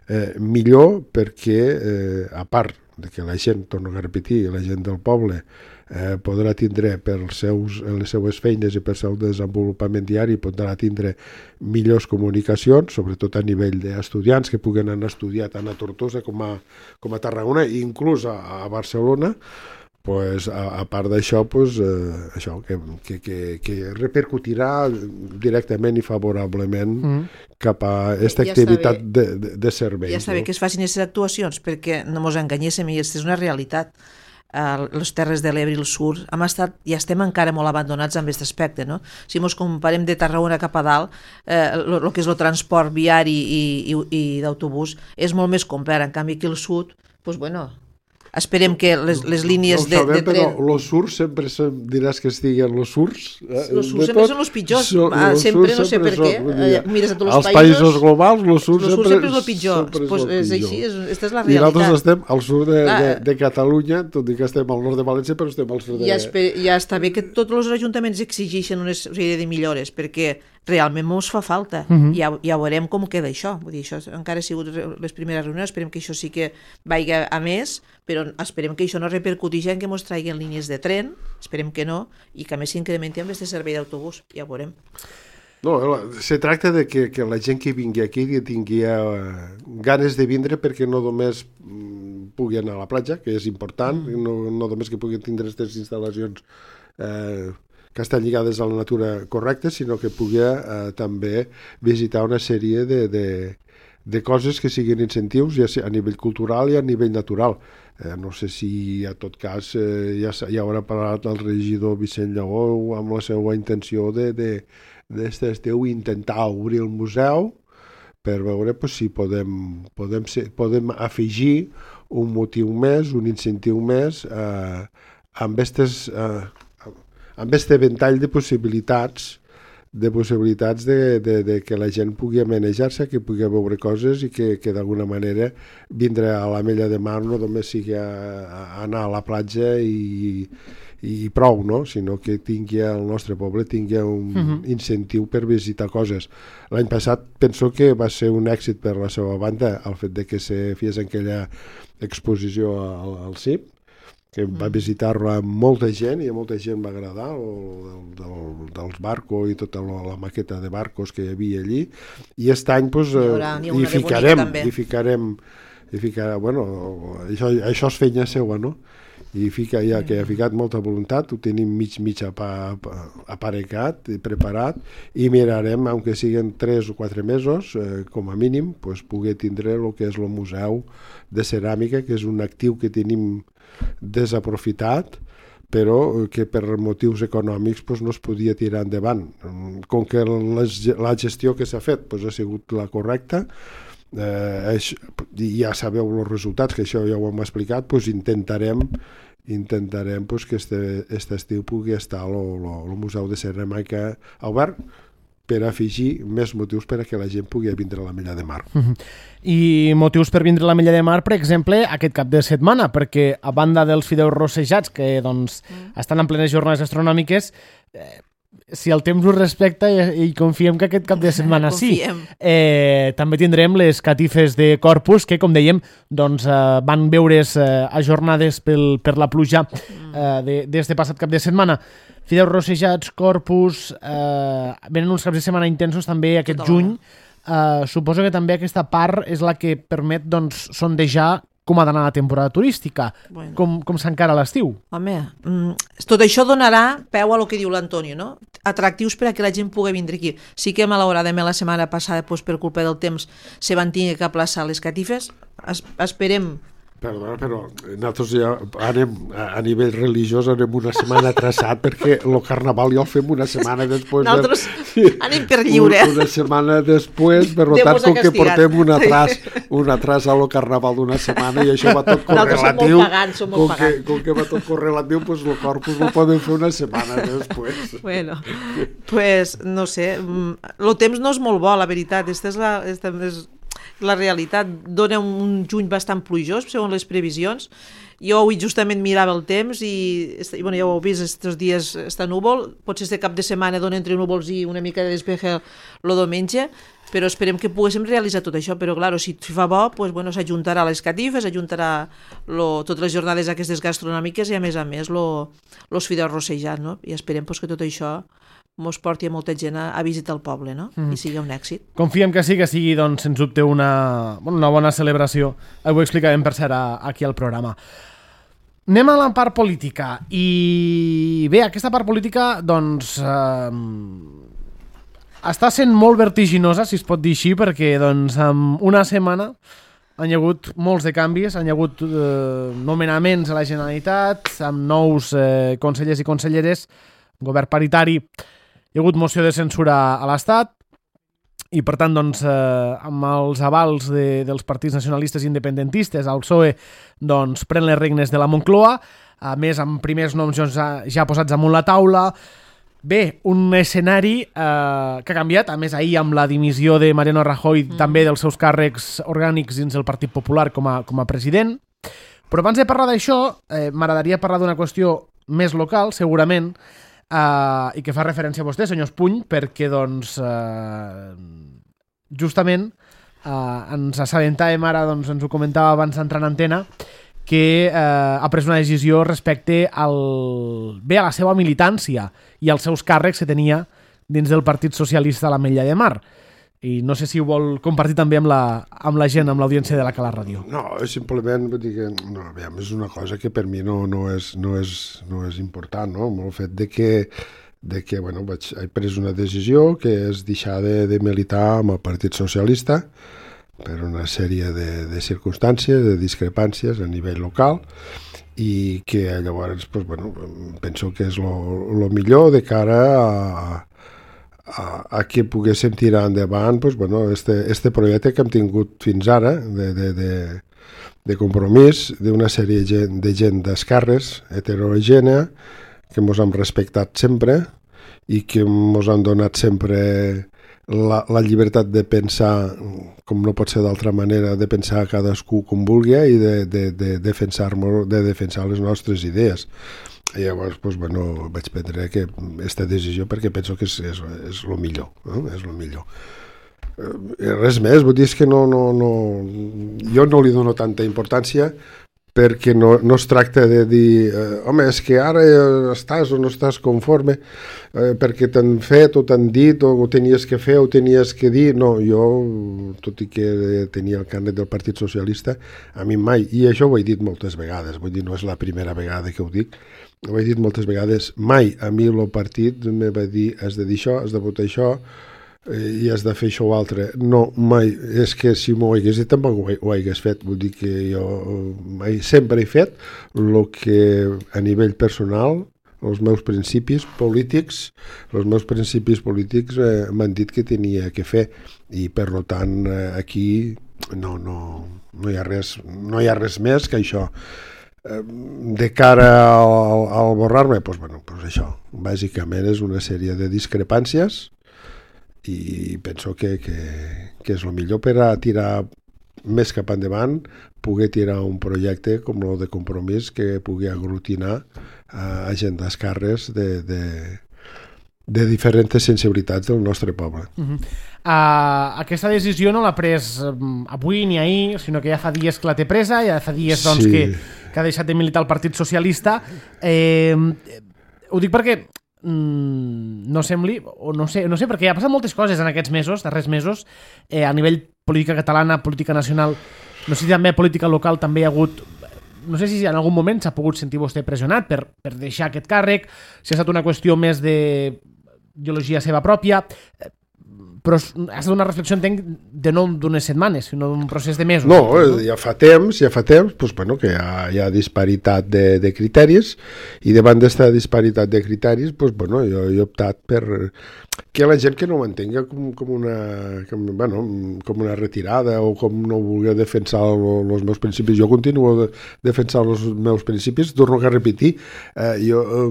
eh, millor perquè eh, a part de que la gent, torno a repetir, la gent del poble eh, podrà tindre per seus, les seues feines i per seu desenvolupament diari, podrà tindre millors comunicacions, sobretot a nivell d'estudiants que puguen anar a estudiar tant a Tortosa com a, com a Tarragona i inclús a, a Barcelona. Pues, a, a part d'això, pues, eh, això, que, que, que, que repercutirà directament i favorablement mm. cap a aquesta ja activitat bé, de, de, de serveis. Ja està bé no? que es facin aquestes actuacions, perquè no mos enganyéssim, i aquesta és una realitat. Uh, les Terres de l'Ebre i el Sur hem estat, ja estem encara molt abandonats en aquest aspecte, no? Si mos comparem de Tarragona cap a dalt, el eh, que és el transport viari i, i, i d'autobús és molt més complet. En canvi aquí al sud, pues bueno, esperem que les, les línies no sabem, de, de tren... Però els surts sempre se, diràs que estiguen els surts. Eh? Els surts sempre són els pitjors. So, ah, sempre, no sé per què. Són, mires a tots els països... països globals, els surts sempre, sempre és el pitjor. Pues és, és així, és, aquesta és la realitat. I nosaltres estem al sud de, de, de Catalunya, tot i que estem al nord de València, però estem al sud de... Ja, esper, ja està bé que tots els ajuntaments exigeixen una sèrie de millores, perquè realment mos fa falta. Uh-huh. Ja, ja veurem com queda això. Vull dir, això encara ha sigut les primeres reunions, esperem que això sí que vagi a més, però esperem que això no repercuteix en que ens traguin línies de tren, esperem que no, i que a més s'incrementi amb aquest servei d'autobús, ja ho veurem. No, se tracta de que, que la gent que vingui aquí que tingui uh, ganes de vindre, perquè no només mm, pugui anar a la platja, que és important, mm. no, no només que puguin tindre aquestes instal·lacions eh, que estan lligades a la natura correcta, sinó que pugui eh, també visitar una sèrie de, de, de coses que siguin incentius ja a nivell cultural i a nivell natural. Eh, no sé si a tot cas eh, ja, ja haurà parlat el regidor Vicent Lleó amb la seva intenció de, de, d'aquest estiu intentar obrir el museu per veure pues, si podem, podem, ser, podem afegir un motiu més, un incentiu més eh, amb aquestes... Eh, amb aquest ventall de possibilitats de possibilitats de, de, de que la gent pugui manejar-se, que pugui veure coses i que, que d'alguna manera vindre a l'Ametlla de Mar no només sigui a, a anar a la platja i, i prou, no? Sinó que tingui el nostre poble tingui un uh-huh. incentiu per visitar coses. L'any passat penso que va ser un èxit per la seva banda el fet de que se fes aquella exposició al, al C I P, que va visitar-la molta gent i a molta gent va agradar el, del, dels barcos i tota la, la maqueta de barcos que hi havia allí, i aquest any pues, hi, haurà, hi, hi ficarem hi ficarem, hi ficarem bueno, això, això és feina seua, no? I fica, ja que ha ficat molta voluntat, ho tenim mig mig aparecat i preparat, i mirarem, aunque siguin tres o quatre mesos eh, com a mínim, pues, poder tindre el que és el museu de ceràmica, que és un actiu que tenim desaprofitat, però que per motius econòmics pues, no es podia tirar endavant. Com que les, la gestió que s'ha fet pues, ha sigut la correcta, eh, és, ja sabeu els resultats, que això ja ho hem explicat, pues, intentarem intentarem pues, que este, este estiu pugui estar el Museu de Ceràmica obert, per afegir més motius per a que la gent pugui vindre a l'Ametlla de Mar. Uh-huh. I motius per vindre a l'Ametlla de Mar, per exemple, aquest cap de setmana, perquè a banda dels fideus rossejats, que doncs, mm. estan en plenes jornades astronòmiques, eh, si el temps ho respecta i, i confiem que aquest cap de setmana sí. Eh, també tindrem les catifes de Corpus que, com dèiem, doncs, eh, van veure's eh, ajornades pel, per la pluja eh, d'este passat cap de setmana. Fideus rossejats, Corpus, eh, venen uns caps de setmana intensos també aquest Total. juny. Eh, suposo que també aquesta part és la que permet doncs, sondejar com ha d'anar la temporada turística, bueno. com, com s'encara l'estiu. Home, tot això donarà peu a lo que diu l'Antonio, no? Atractius per a que la gent pugui vindre aquí. Sí que malauradament la setmana passada, doncs, per culpa del temps, se van tenir que aplaçar les catifes. Es, esperem... Perdona, però nosaltres ja anem, a nivell religiós anem una setmana atrasat perquè el carnaval ja el fem una setmana després. Nosaltres de... anem per lliure. Una setmana després, per tant, com que portem un atras, un atras a lo carnaval d'una setmana i això va tot correlatiu. Nosaltres som molt pagans, som molt com pagans. Que, com que va tot correlatiu, doncs el Corpus ho podem fer una setmana després. Bueno, pues no sé, el temps no és molt bo, la veritat. Esta és la... Esta és... La realitat dona un juny bastant plujós, segons les previsions. Jo avui justament mirava el temps i, i bueno, ja ho heu vist, aquests dies està núvol, potser este cap de setmana dona entre núvols i una mica de despeje el diumenge, però esperem que poguéssim realitzar tot això, però clar, si fa bo, pues, bueno, s'ajuntarà les catifes, s'ajuntarà totes les jornades aquestes gastronòmiques i a més a més els fideus rossejats, no? I esperem pues, que tot això mos porti a molta gent a, a visitar el poble, no? Mm. I sigui un èxit. Confiem que sí, que sigui, doncs, sens dubte, una, una bona celebració. Ho explicarem, per cert, aquí al programa. Anem a la part política. I bé, aquesta part política, doncs, eh, està sent molt vertiginosa, si es pot dir així, perquè, doncs, en una setmana han hi hagut molts de canvis, han hi hagut eh, nomenaments a la Generalitat, amb nous eh, consellers i conselleres, govern paritari. Hi ha hagut moció de censura a l'Estat i, per tant, doncs, eh, amb els avals de, dels partits nacionalistes i independentistes, el P S O E doncs, pren les regnes de la Moncloa, a més, amb primers noms ja, ja posats damunt la taula. Bé, un escenari eh, que ha canviat, a més, ahir amb la dimissió de Mariano Rajoy, mm. també dels seus càrrecs orgànics dins del Partit Popular com a, com a president. Però abans de parlar d'això, eh, m'agradaria parlar d'una qüestió més local, segurament, Uh, i que fa referència a vostè, senyor Espuny, perquè doncs uh, justament uh, ens assabentàvem ara, doncs ens ho comentava abans d'entrar en antena, que uh, ha pres una decisió respecte al, bé, a la seva militància i als seus càrrecs que tenia dins del Partit Socialista a l'Ametlla de Mar. I no sé si ho vol compartir també amb la, amb la gent, amb l'audiència de la Cala Ràdio. No, simplement vull dir que no, aviam, és una cosa que per mi no, no, és, no, és, no és important, no? El fet de que, de que bueno, vaig, he pres una decisió que és deixar de, de militar amb el Partit Socialista per una sèrie de, de circumstàncies, de discrepàncies a nivell local i que llavors pues, bueno, penso que és el millor de cara a A, a que poguéssim tirar endavant pues, bueno, este, este projecte que hem tingut fins ara de, de, de, de compromís d'una sèrie de gent, de gent d'esquerres heterogènea que ens han respectat sempre i que ens han donat sempre la, la llibertat de pensar com no pot ser d'altra manera, de pensar cadascú com vulgui i de, de, de, defensar, de defensar les nostres idees. I llavors, doncs, bueno, vaig prendre aquesta decisió perquè penso que és, és, és el millor, no? És el millor. Eh, res més, vull dir que no, no, no, jo no li dono tanta importància perquè no, no es tracta de dir eh, home, és que ara estàs o no estàs conforme eh, perquè t'han fet o t'han dit o ho tenies que fer o ho tenies que dir. No, jo, tot i que tenia el carnet del Partit Socialista, a mi mai, i això ho he dit moltes vegades, vull dir, no és la primera vegada que ho dic, ho he dit moltes vegades, mai a mi el partit me va dir has de dir això, has de votar això i has de fer això o altre. No, mai. És que si m'ho hagués dit tampoc ho, ho hagués fet. Vull dir que jo mai, sempre he fet el que a nivell personal, els meus principis polítics, els meus principis polítics eh, m'han dit que tenia que fer i per tant eh, aquí no, no, no, hi ha res, no hi ha res més que això. De cara al, al borrar-me, doncs, bueno, doncs això, bàsicament és una sèrie de discrepàncies i penso que, que, que és el millor per a tirar més cap endavant, poder tirar un projecte com el de Compromís que pugui aglutinar a gent d'esquerres de, de, de diferents sensibilitats del nostre poble. Uh-huh. Uh, aquesta decisió no l'ha pres um, avui ni ahir, sinó que ja fa dies que la té presa, ja fa dies doncs, Sí. que, que ha deixat de militar el Partit Socialista. Eh, ho dic perquè mm, no sembli, o no sé, no sé, perquè ha passat moltes coses en aquests mesos, darrers mesos, eh, a nivell política catalana, política nacional, no sé si també política local també hi ha hagut. No sé si en algun moment s'ha pogut sentir vostè pressionat per, per deixar aquest càrrec, si ha estat una qüestió més d'ideologia seva pròpia, però ha estat una reflexió, entenc, de no d'unes setmanes, sinó d'un procés de mesos. No, ja fa temps, ja fa temps doncs, bueno, que hi ha, hi ha disparitat de, de criteris, i davant d'esta disparitat de criteris doncs, bueno, jo, jo he optat per que la gent que no m'entenga com, com, una, com, bueno, com una retirada o com no vulgui defensar els meus principis. Jo continuo de, defensant els meus principis, torno a repetir, eh, jo eh,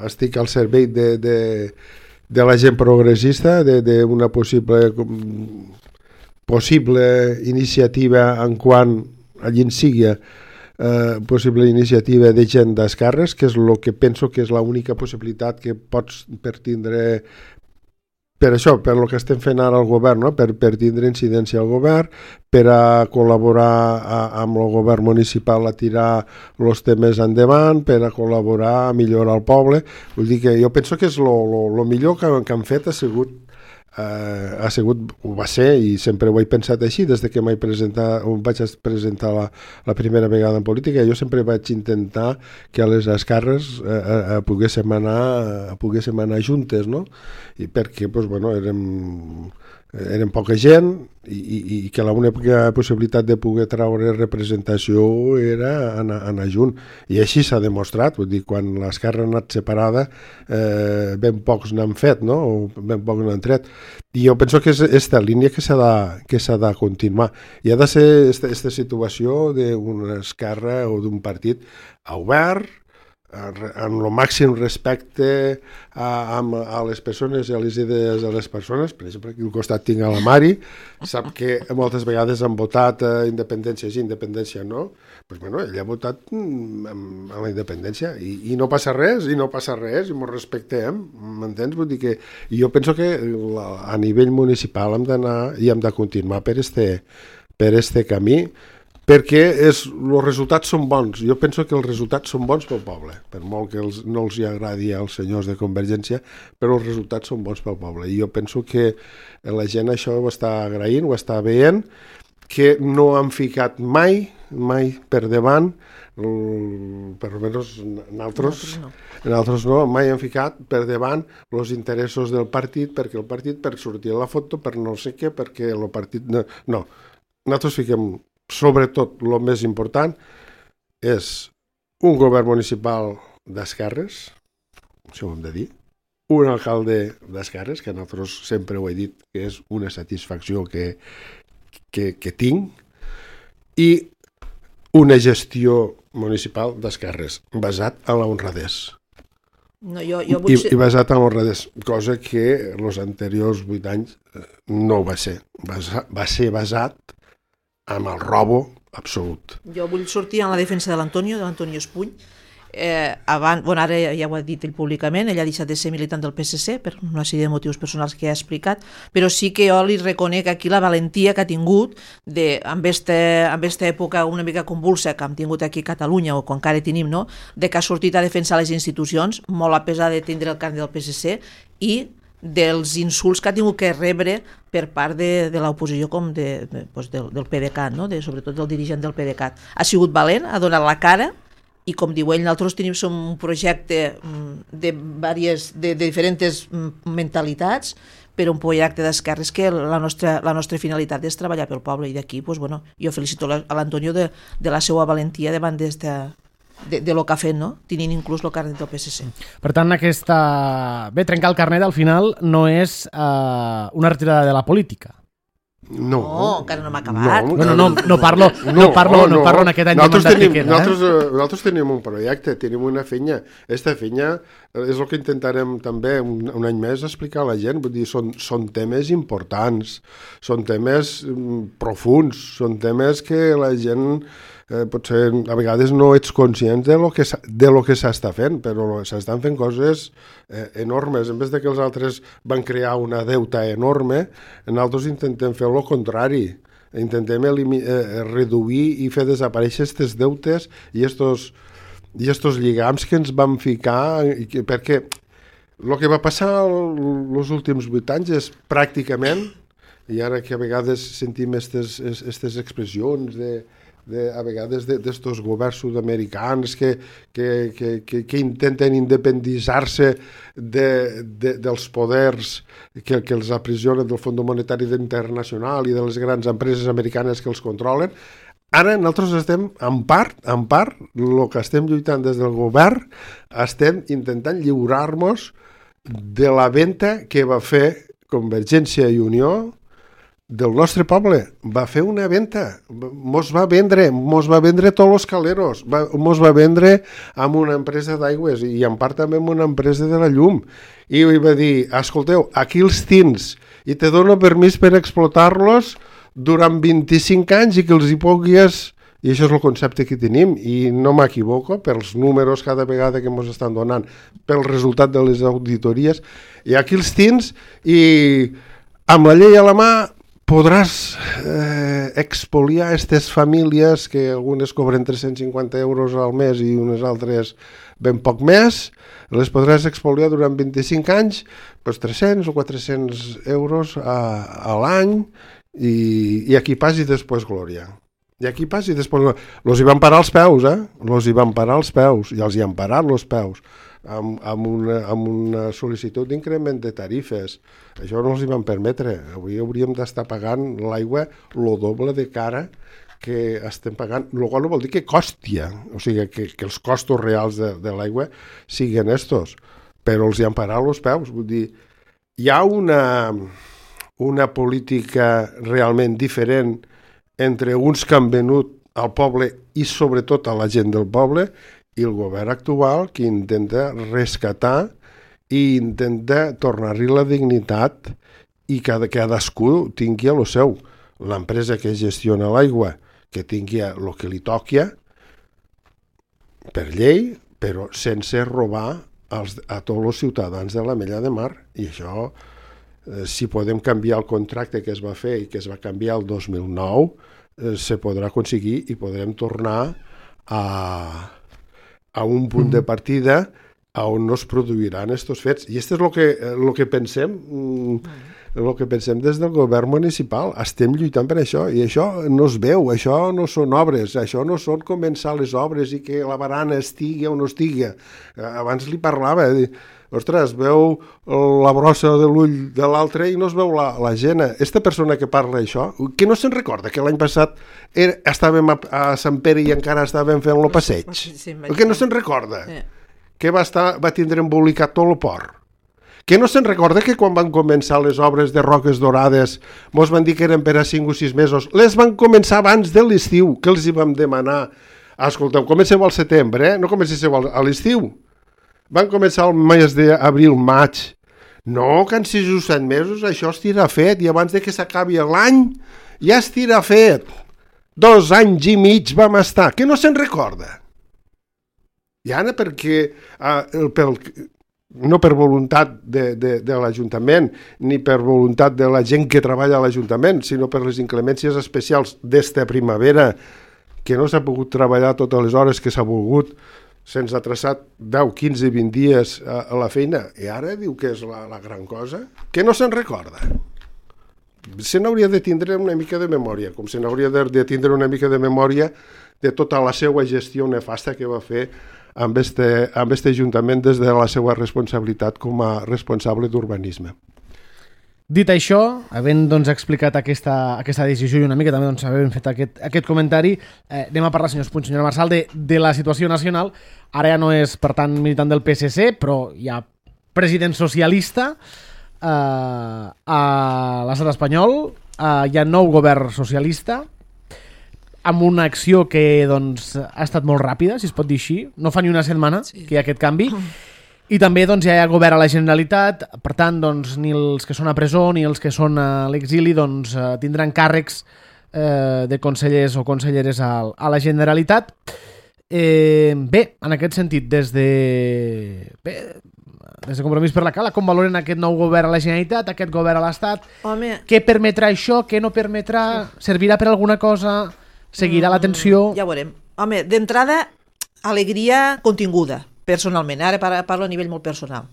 estic al servei de... de de la gent progressista, d'una possible possible iniciativa en quant allí en sigui eh, possible iniciativa de gent d'esquerres, que és el que penso que és l'única possibilitat que pots per tindre per això, per el que estem fent ara al govern, no? per, per tindre incidència al govern, per a col·laborar a, amb el govern municipal a tirar els temes endavant, per a col·laborar a millorar el poble. Vull dir que jo penso que és el millor que, que han fet ha sigut, eh, ha sigut, ho va ser, i sempre ho he pensat així, des de que m'he presentat, vaig presentar la, la primera vegada en política. Jo sempre vaig intentar que a les esquerres eh, eh, poguéssim, anar, poguéssim anar juntes, no? I perquè doncs, bueno, érem, érem poca gent i, i, i que l'única possibilitat de poder treure representació era anar, anar junt. I així s'ha demostrat, vull dir, quan l'esquerra ha anat separada, eh, ben pocs n'han fet, no? O ben pocs n'han tret. I jo penso que és aquesta línia que s'ha de, que s'ha de continuar. I ha de ser aquesta situació d'una esquerra o d'un partit obert, amb el màxim respecte a, a les persones i a les idees de les persones. Per exemple, aquí al costat tinc a la Mari, sap que moltes vegades han votat a independència sí, independència no, pues, bueno, ella ha votat a la independència i, i no passa res, i no passa res, i ens respectem, m'entens? Vull dir que jo penso que la, a nivell municipal hem d'anar i hem de continuar per este, per este camí, perquè és, els resultats són bons. Jo penso que els resultats són bons pel poble, per molt que els, no els hi agradi als senyors de Convergència, però els resultats són bons pel poble. I jo penso que la gent això ho està agraint, ho està veient, que no han ficat mai, mai per davant, per almenys nosaltres no. nosaltres no, mai han ficat per davant els interessos del partit, perquè el partit per sortir a la foto, per no sé què, perquè el partit... No, no. Nosaltres fiquem... Sobretot, el més important és un govern municipal d'esquerres, això ho hem de dir, un alcalde d'esquerres, que nosaltres sempre ho he dit que és una satisfacció que, que, que tinc, i una gestió municipal d'esquerres, basat en la honradès. No, jo, jo vull I, ser... I basat en l'honradès, cosa que els anteriors vuit anys no va ser. Va, va ser basat amb el robo absolut. Jo vull sortir en la defensa de l'Antonio, de l'Antonio Espuny. Eh, abans, bueno, ara ja ho ha dit ell públicament, ell ha deixat de ser militant del P S C per una sèrie de motius personals que ha explicat, però sí que jo li reconec aquí la valentia que ha tingut de, amb aquesta època una mica convulsa que hem tingut aquí a Catalunya, o que encara tenim, no? De que ha sortit a defensar les institucions, molt a pesar de tindre el carnet del P S C, i dels insults que ha tingut que rebre per part de, de l'oposició com de, de, doncs del, del PDeCAT, no? De, sobretot del dirigent del PDeCAT. Ha sigut valent, ha donat la cara, i com diu ell, nosaltres tenim som un projecte de, diverses, de, de diferents mentalitats, però un projecte d'esquerres que la nostra, la nostra finalitat és treballar pel poble, i d'aquí doncs, bueno, jo felicito a l'Antonio de, de la seva valentia davant d'esta... de, de lo que ha fet, no? Tenint inclús el carnet del P S C. Per tant, aquesta... Bé, trencar el carnet al final no és uh, una retirada de la política. No, no encara no m'ha acabat. No, no, no, no parlo, no, no parlo, no, no parlo en aquest any de mandat tenim, que queda. Nosaltres, eh? nosaltres tenim un projecte, tenim una feina. Esta feina és el que intentarem també un, un any més explicar a la gent. Vull dir, són, són temes importants, són temes mm, profuns, són temes que la gent eh, potser a vegades no ets conscient de lo que, de lo que s'està fent, però s'estan fent coses eh, enormes. En vez de que els altres van crear una deuta enorme, nosaltres intentem fer el contrari. Intentem eh, reduir i fer desaparèixer aquestes deutes i estos, i estos lligams que ens van ficar, que, perquè el que va passar els últims vuit anys és pràcticament, i ara que a vegades sentim aquestes expressions de, de, a vegades d'estos governs sud-americans que, que, que, que, que intenten independitzar-se de, de, dels poders que, que els aprisionen del Fons Monetari Internacional i de les grans empreses americanes que els controlen. Ara nosaltres estem, en part, en part, el que estem lluitant des del govern, estem intentant lliurar-nos de la venda que va fer Convergència i Unió del nostre poble. Va fer una venda, mos va vendre, mos va vendre tots els caleros, va, mos va vendre amb una empresa d'aigües i en part també amb una empresa de la llum. I va dir, escolteu, aquí els tins i te dono permís per explotar-los durant vint-i-cinc anys i que els hi puguis... I això és el concepte que tenim, i no m'equivoco, pels números cada vegada que ens estan donant, pel resultat de les auditories, i aquí els tins, i amb la llei a la mà podràs eh, expoliar aquestes famílies que algunes cobren tres-cents cinquanta euros al mes i unes altres ben poc més, les podràs expoliar durant vint-i-cinc anys, doncs tres-cents o quatre-cents euros a, a l'any, i, i aquí pas i després glòria. I aquí pas i després... Los hi van parar els peus, eh? Los hi van parar els peus, i els hi han parat els peus, amb, amb, una, amb una sol·licitud d'increment de tarifes. Això no els hi van permetre. Avui hauríem d'estar pagant l'aigua lo doble de cara que estem pagant, el qual no vol dir que costia, o sigui, que, que els costos reals de, de l'aigua siguin estos, però els hi han parat els peus. Vull dir, hi ha una, una política realment diferent entre uns que han venut al poble i sobretot a la gent del poble i el govern actual que intenta rescatar i intenta tornar-li la dignitat i que cadascú tingui el seu. L'empresa que gestiona l'aigua que tingui el que li toqui per llei, però sense robar als, a tots els ciutadans de la Mella de Mar. I això, eh, si podem canviar el contracte que es va fer i que es va canviar el dos mil nou, eh, se podrà aconseguir i podrem tornar a, a un punt de partida on no es produiran aquests fets. I això és el que, el que pensem, el que pensem des del govern municipal. Estem lluitant per això, i això no es veu, això no són obres, això no són començar les obres i que la barana estigui o no estigui. Abans li parlava, ostres, veu la brossa de l'ull de l'altre i no es veu la, la gent. Aquesta persona que parla això, que no se'n recorda que l'any passat era, estàvem a, a Sant Pere i encara estàvem fent el passeig? Sí, que no se'n recorda? Sí. Que va, estar, va tindre embolicat tot el port. Que no se'n recorda que quan van començar les obres de Roques Dorades mos van dir que eren per a cinc o sis mesos? Les van començar abans de l'estiu, que els hi vam demanar. Escolteu, comenceu al setembre, eh? No comencéssiu a l'estiu. Van començar el mes d'abril, maig. No, que en sis o set mesos això estirà fet, i abans de que s'acabi l'any ja estirà fet. Dos anys i mig vam estar. Que no se'n recorda? I ara perquè, eh, pel, no per voluntat de, de, de l'Ajuntament, ni per voluntat de la gent que treballa a l'Ajuntament, sinó per les inclemències especials d'esta primavera, que no s'ha pogut treballar totes les hores que s'ha volgut, se'ns ha traçat deu, quinze, vint dies a, a la feina, i ara diu que és la, la gran cosa, que no se'n recorda. Se n'hauria de tindre una mica de memòria, com se n'hauria de, de tindre una mica de memòria de tota la seva gestió nefasta que va fer amb este, amb este Ajuntament des de la seva responsabilitat com a responsable d'urbanisme. Dit això, havent doncs, explicat aquesta, aquesta decisió i una mica també doncs, havent fet aquest, aquest comentari, eh, anem a parlar, senyors Puig, senyora Marsal, de, de la situació nacional. Ara ja no és, per tant, militant del P S C, però hi ha president socialista eh, a l'estat espanyol, eh, hi ha nou govern socialista, amb una acció que doncs, ha estat molt ràpida, si es pot dir així. No fa ni una setmana sí. que hi ha aquest canvi. I també doncs, ja hi ha govern a la Generalitat, per tant, doncs, ni els que són a presó ni els que són a l'exili doncs, tindran càrrecs eh, de consellers o conselleres a, a la Generalitat. Eh, bé, en aquest sentit, des de... Bé, des de Compromís per la Cala, com valoren aquest nou govern a la Generalitat, aquest govern a l'Estat? Home, què permetrà això, què no permetrà? Servirà per alguna cosa? Seguirà l'atenció? ja ho veurem. Home, d'entrada, alegria continguda, personalment. Ara parlo a nivell molt personal.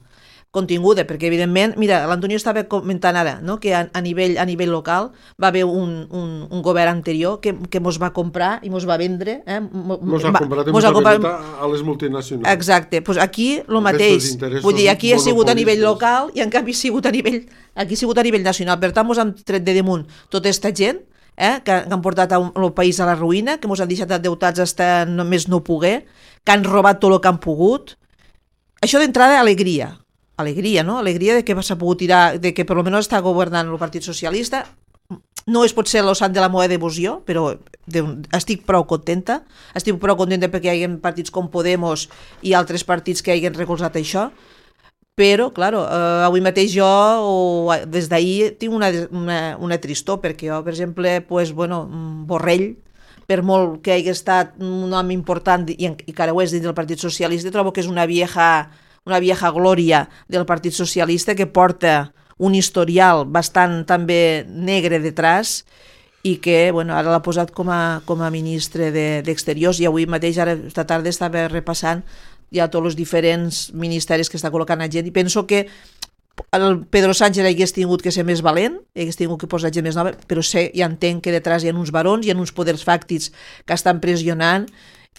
Continguda, perquè evidentment, mira, l'Antonio estava comentant ara, no?, que a, a, nivell, a nivell local va haver un, un, un govern anterior que, que mos va comprar i mos va vendre. Eh? Mos ha comprat i mos ha venut a les multinacionals. Exacte, doncs aquí el mateix. Vull dir, aquí ha sigut a nivell local i en canvi ha sigut a nivell, aquí ha sigut a nivell nacional. Per tant, mos han tret de damunt tota aquesta gent eh, que, que han portat un, el país a la ruïna, que mos han deixat endeutats hasta només no poder, que han robat tot el que han pogut. Això d'entrada, alegria. Alegria, no? Alegria de que s'ha pogut tirar, de que per almenys està governant el Partit Socialista. No és potser el sant de la meva devoció, però de, estic prou contenta. Estic prou contenta perquè hi ha partits com Podemos i altres partits que hagin recolzat això. Però, clar, eh, avui mateix jo, o des d'ahir, tinc una, una, una tristor, perquè jo, per exemple, pues, bueno, Borrell, per molt que hagi estat un home important i, i que ara ho és dins del Partit Socialista, trobo que és una vieja... una vieja glòria del Partit Socialista que porta un historial bastant també negre detrás i que bueno, ara l'ha posat com a, com a ministre d'Exteriors de, i avui mateix, ara esta tarda, estava repassant ja tots els diferents ministeris que està col·locant a gent i penso que el Pedro Sánchez hagués tingut que ser més valent, hagués tingut que posar gent més nova, però sé i entenc que detrás hi ha uns barons, hi ha uns poders fàctics que estan pressionant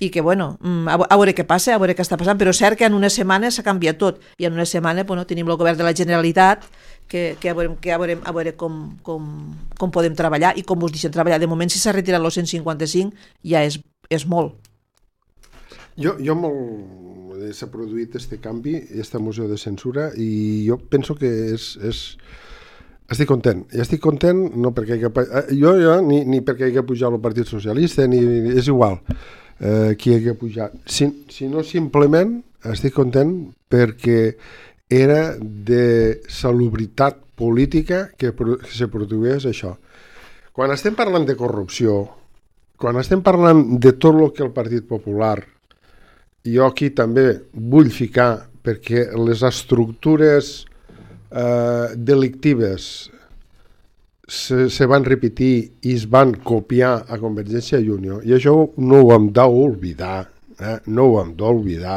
i que, bueno, a veure què passa, a veure què està passant, però és cert que en una setmana s'ha canviat tot, i en una setmana bueno, tenim el govern de la Generalitat, que, que, a veure, que a veure, a veure com, com, com podem treballar i com us deixen treballar. De moment, si s'ha retirat el cent cinquanta-cinc, ja és, és molt. Jo, jo molt... s'ha produït este canvi, aquesta moció de censura, i jo penso que és... és... Estic content, i estic content no perquè hi ha... jo, jo ni, ni perquè hi ha pujat el Partit Socialista, ni és igual eh, qui hi ha pujat, si, si no simplement estic content perquè era de salubritat política que, que se produís això. Quan estem parlant de corrupció, quan estem parlant de tot el que el Partit Popular, jo aquí també vull ficar perquè les estructures Uh, delictives se, se van repetir i es van copiar a Convergència i Unió, i això no ho hem d'oblidar, eh? no ho hem d'oblidar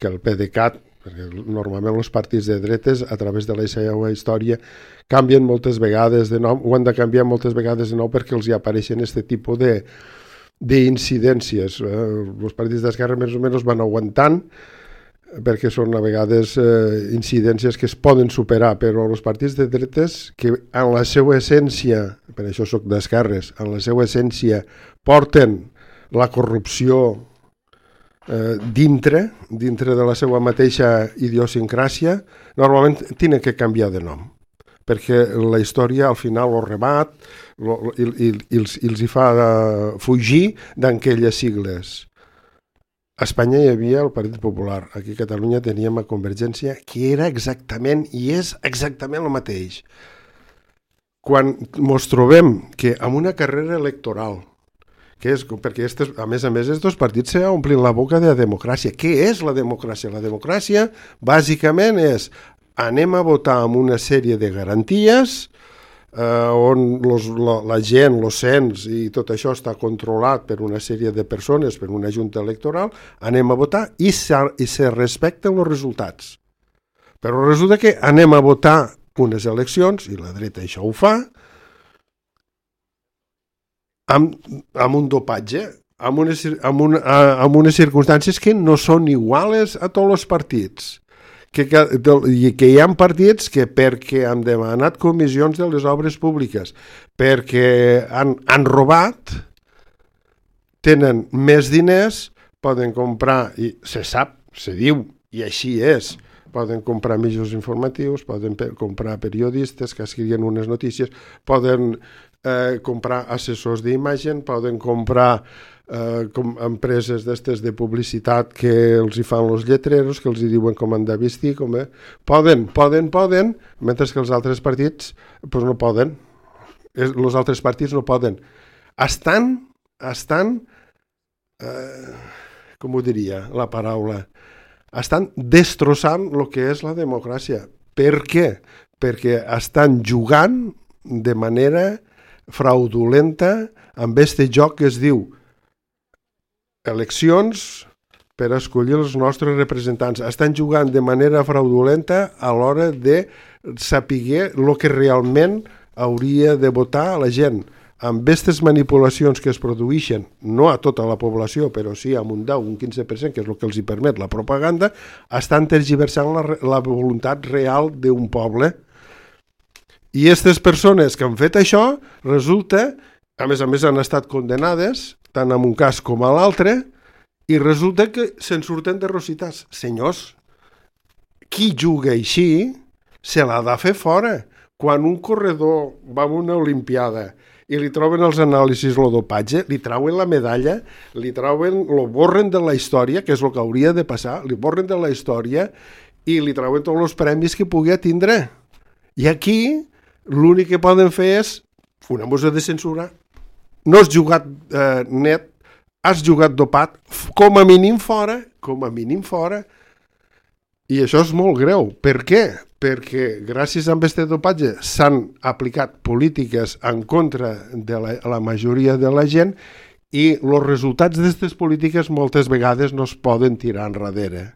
que el PDeCAT, perquè normalment els partits de dretes a través de la seva història canvien moltes vegades de nom, ho han de canviar moltes vegades de nou perquè els hi apareixen aquest tipus de d'incidències. Eh? Els partits d'esquerra més o menys van aguantant perquè són a vegades eh, incidències que es poden superar, però els partits de dretes que en la seva essència, per això soc d'esquerres, en la seva essència porten la corrupció eh, dintre, dintre de la seva mateixa idiosincràsia, normalment tenen que canviar de nom, perquè la història al final ho rebat lo, i, i, i, els, i els hi fa eh, fugir d'aquelles sigles. A Espanya hi havia el Partit Popular, aquí a Catalunya teníem a Convergència, que era exactament, i és exactament el mateix. Quan ens trobem que amb una carrera electoral, que és, perquè estes, a més a més aquests partits s'omplin la boca de la democràcia. Què és la democràcia? La democràcia bàsicament és anem a votar amb una sèrie de garanties Uh, on los, la, la gent, els cens i tot això està controlat per una sèrie de persones, per una junta electoral, anem a votar i se, i se respecten els resultats. Però resulta que anem a votar unes eleccions, i la dreta això ho fa, amb, amb un dopatge, amb unes, amb, una, amb unes circumstàncies que no són iguales a tots els partits. Que, que, que hi ha partits que perquè han demanat comissions de les obres públiques, perquè han, han robat, tenen més diners, poden comprar, i se sap, se diu, i així és, poden comprar mitjans informatius, poden per, comprar periodistes que escriuen unes notícies, poden eh, comprar assessors d'imatge, poden comprar Uh, com empreses d'estes de publicitat que els hi fan els lletreros, que els hi diuen com han de vestir, com, eh? poden, poden, poden, mentre que els altres partits pues no poden. Els altres partits no poden. estan, estan eh, com ho diria la paraula, estan destrossant el que és la democràcia. Per què? Perquè estan jugant de manera fraudulenta amb este joc que es diu eleccions per escollir els nostres representants. Estan jugant de manera fraudulenta a l'hora de saber el que realment hauria de votar la gent. Amb aquestes manipulacions que es produeixen, no a tota la població, però sí amb un deu, un quinze per cent, que és el que els hi permet la propaganda, estan tergiversant la, la voluntat real d'un poble. I aquestes persones que han fet això, resulta, a més a més han estat condenades, tant en un cas com a l'altre, i resulta que se'n surten de rositats. Senyors, qui juga així se l'ha de fer fora. Quan un corredor va a una olimpiada i li troben els anàlisis el dopatge, li trauen la medalla, li trauen, lo borren de la història, que és el que hauria de passar, li borren de la història i li trauen tots els premis que pugui tindre. I aquí l'únic que poden fer és una mossa de censura. No has jugat eh, net, has jugat dopat, com a mínim fora, com a mínim fora. I això és molt greu. Per què? Perquè gràcies a aquest dopatge s'han aplicat polítiques en contra de la, la majoria de la gent i els resultats d'aquestes polítiques moltes vegades no es poden tirar enrere.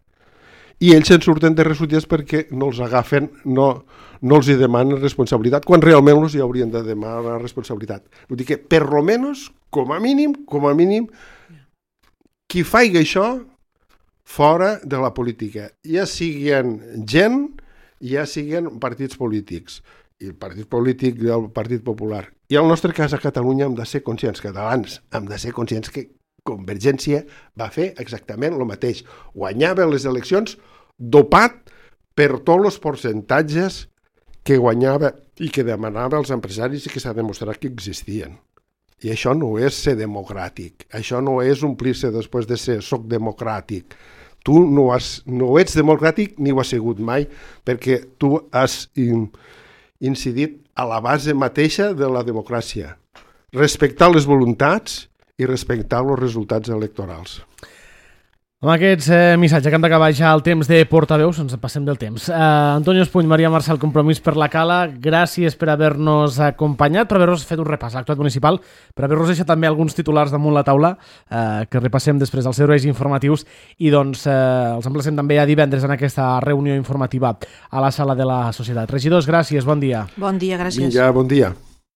I ells se'n surten de resúties perquè no els agafen, no, no els hi demanen responsabilitat, quan realment els hi haurien de demanar responsabilitat. Vull dir que, per lo menos, com a mínim, com a mínim, qui faci això fora de la política, ja siguin gent, ja siguin partits polítics, i el partit polític del Partit Popular. I en el nostre cas a Catalunya hem de ser conscients, catalans, hem de ser conscients que Convergència va fer exactament el mateix. Guanyava les eleccions dopat per tots els percentatges que guanyava i que demanava als empresaris i que s'ha demostrat que existien. I això no és ser democràtic, això no és omplir-se després de ser soc democràtic. Tu no, has, no ets democràtic ni ho has sigut mai, perquè tu has in, incidit a la base mateixa de la democràcia. Respectar les voluntats i respectar els resultats electorals. Amb aquests eh, missatges que hem d'acabar ja el temps de portaveus, ens passem del temps. Uh, Antonio Espuny, Maria Marçal, Compromís per la Cala, gràcies per haver-nos acompanyat, per haver-nos fet un repàs a l'actualitat municipal, per haver-nos deixat també alguns titulars damunt la taula, uh, que repassem després als serveis informatius, i doncs uh, els emplacem també a divendres en aquesta reunió informativa a la sala de la Societat. Regidors, gràcies, bon dia. Bon dia, gràcies. Vinga, bon dia.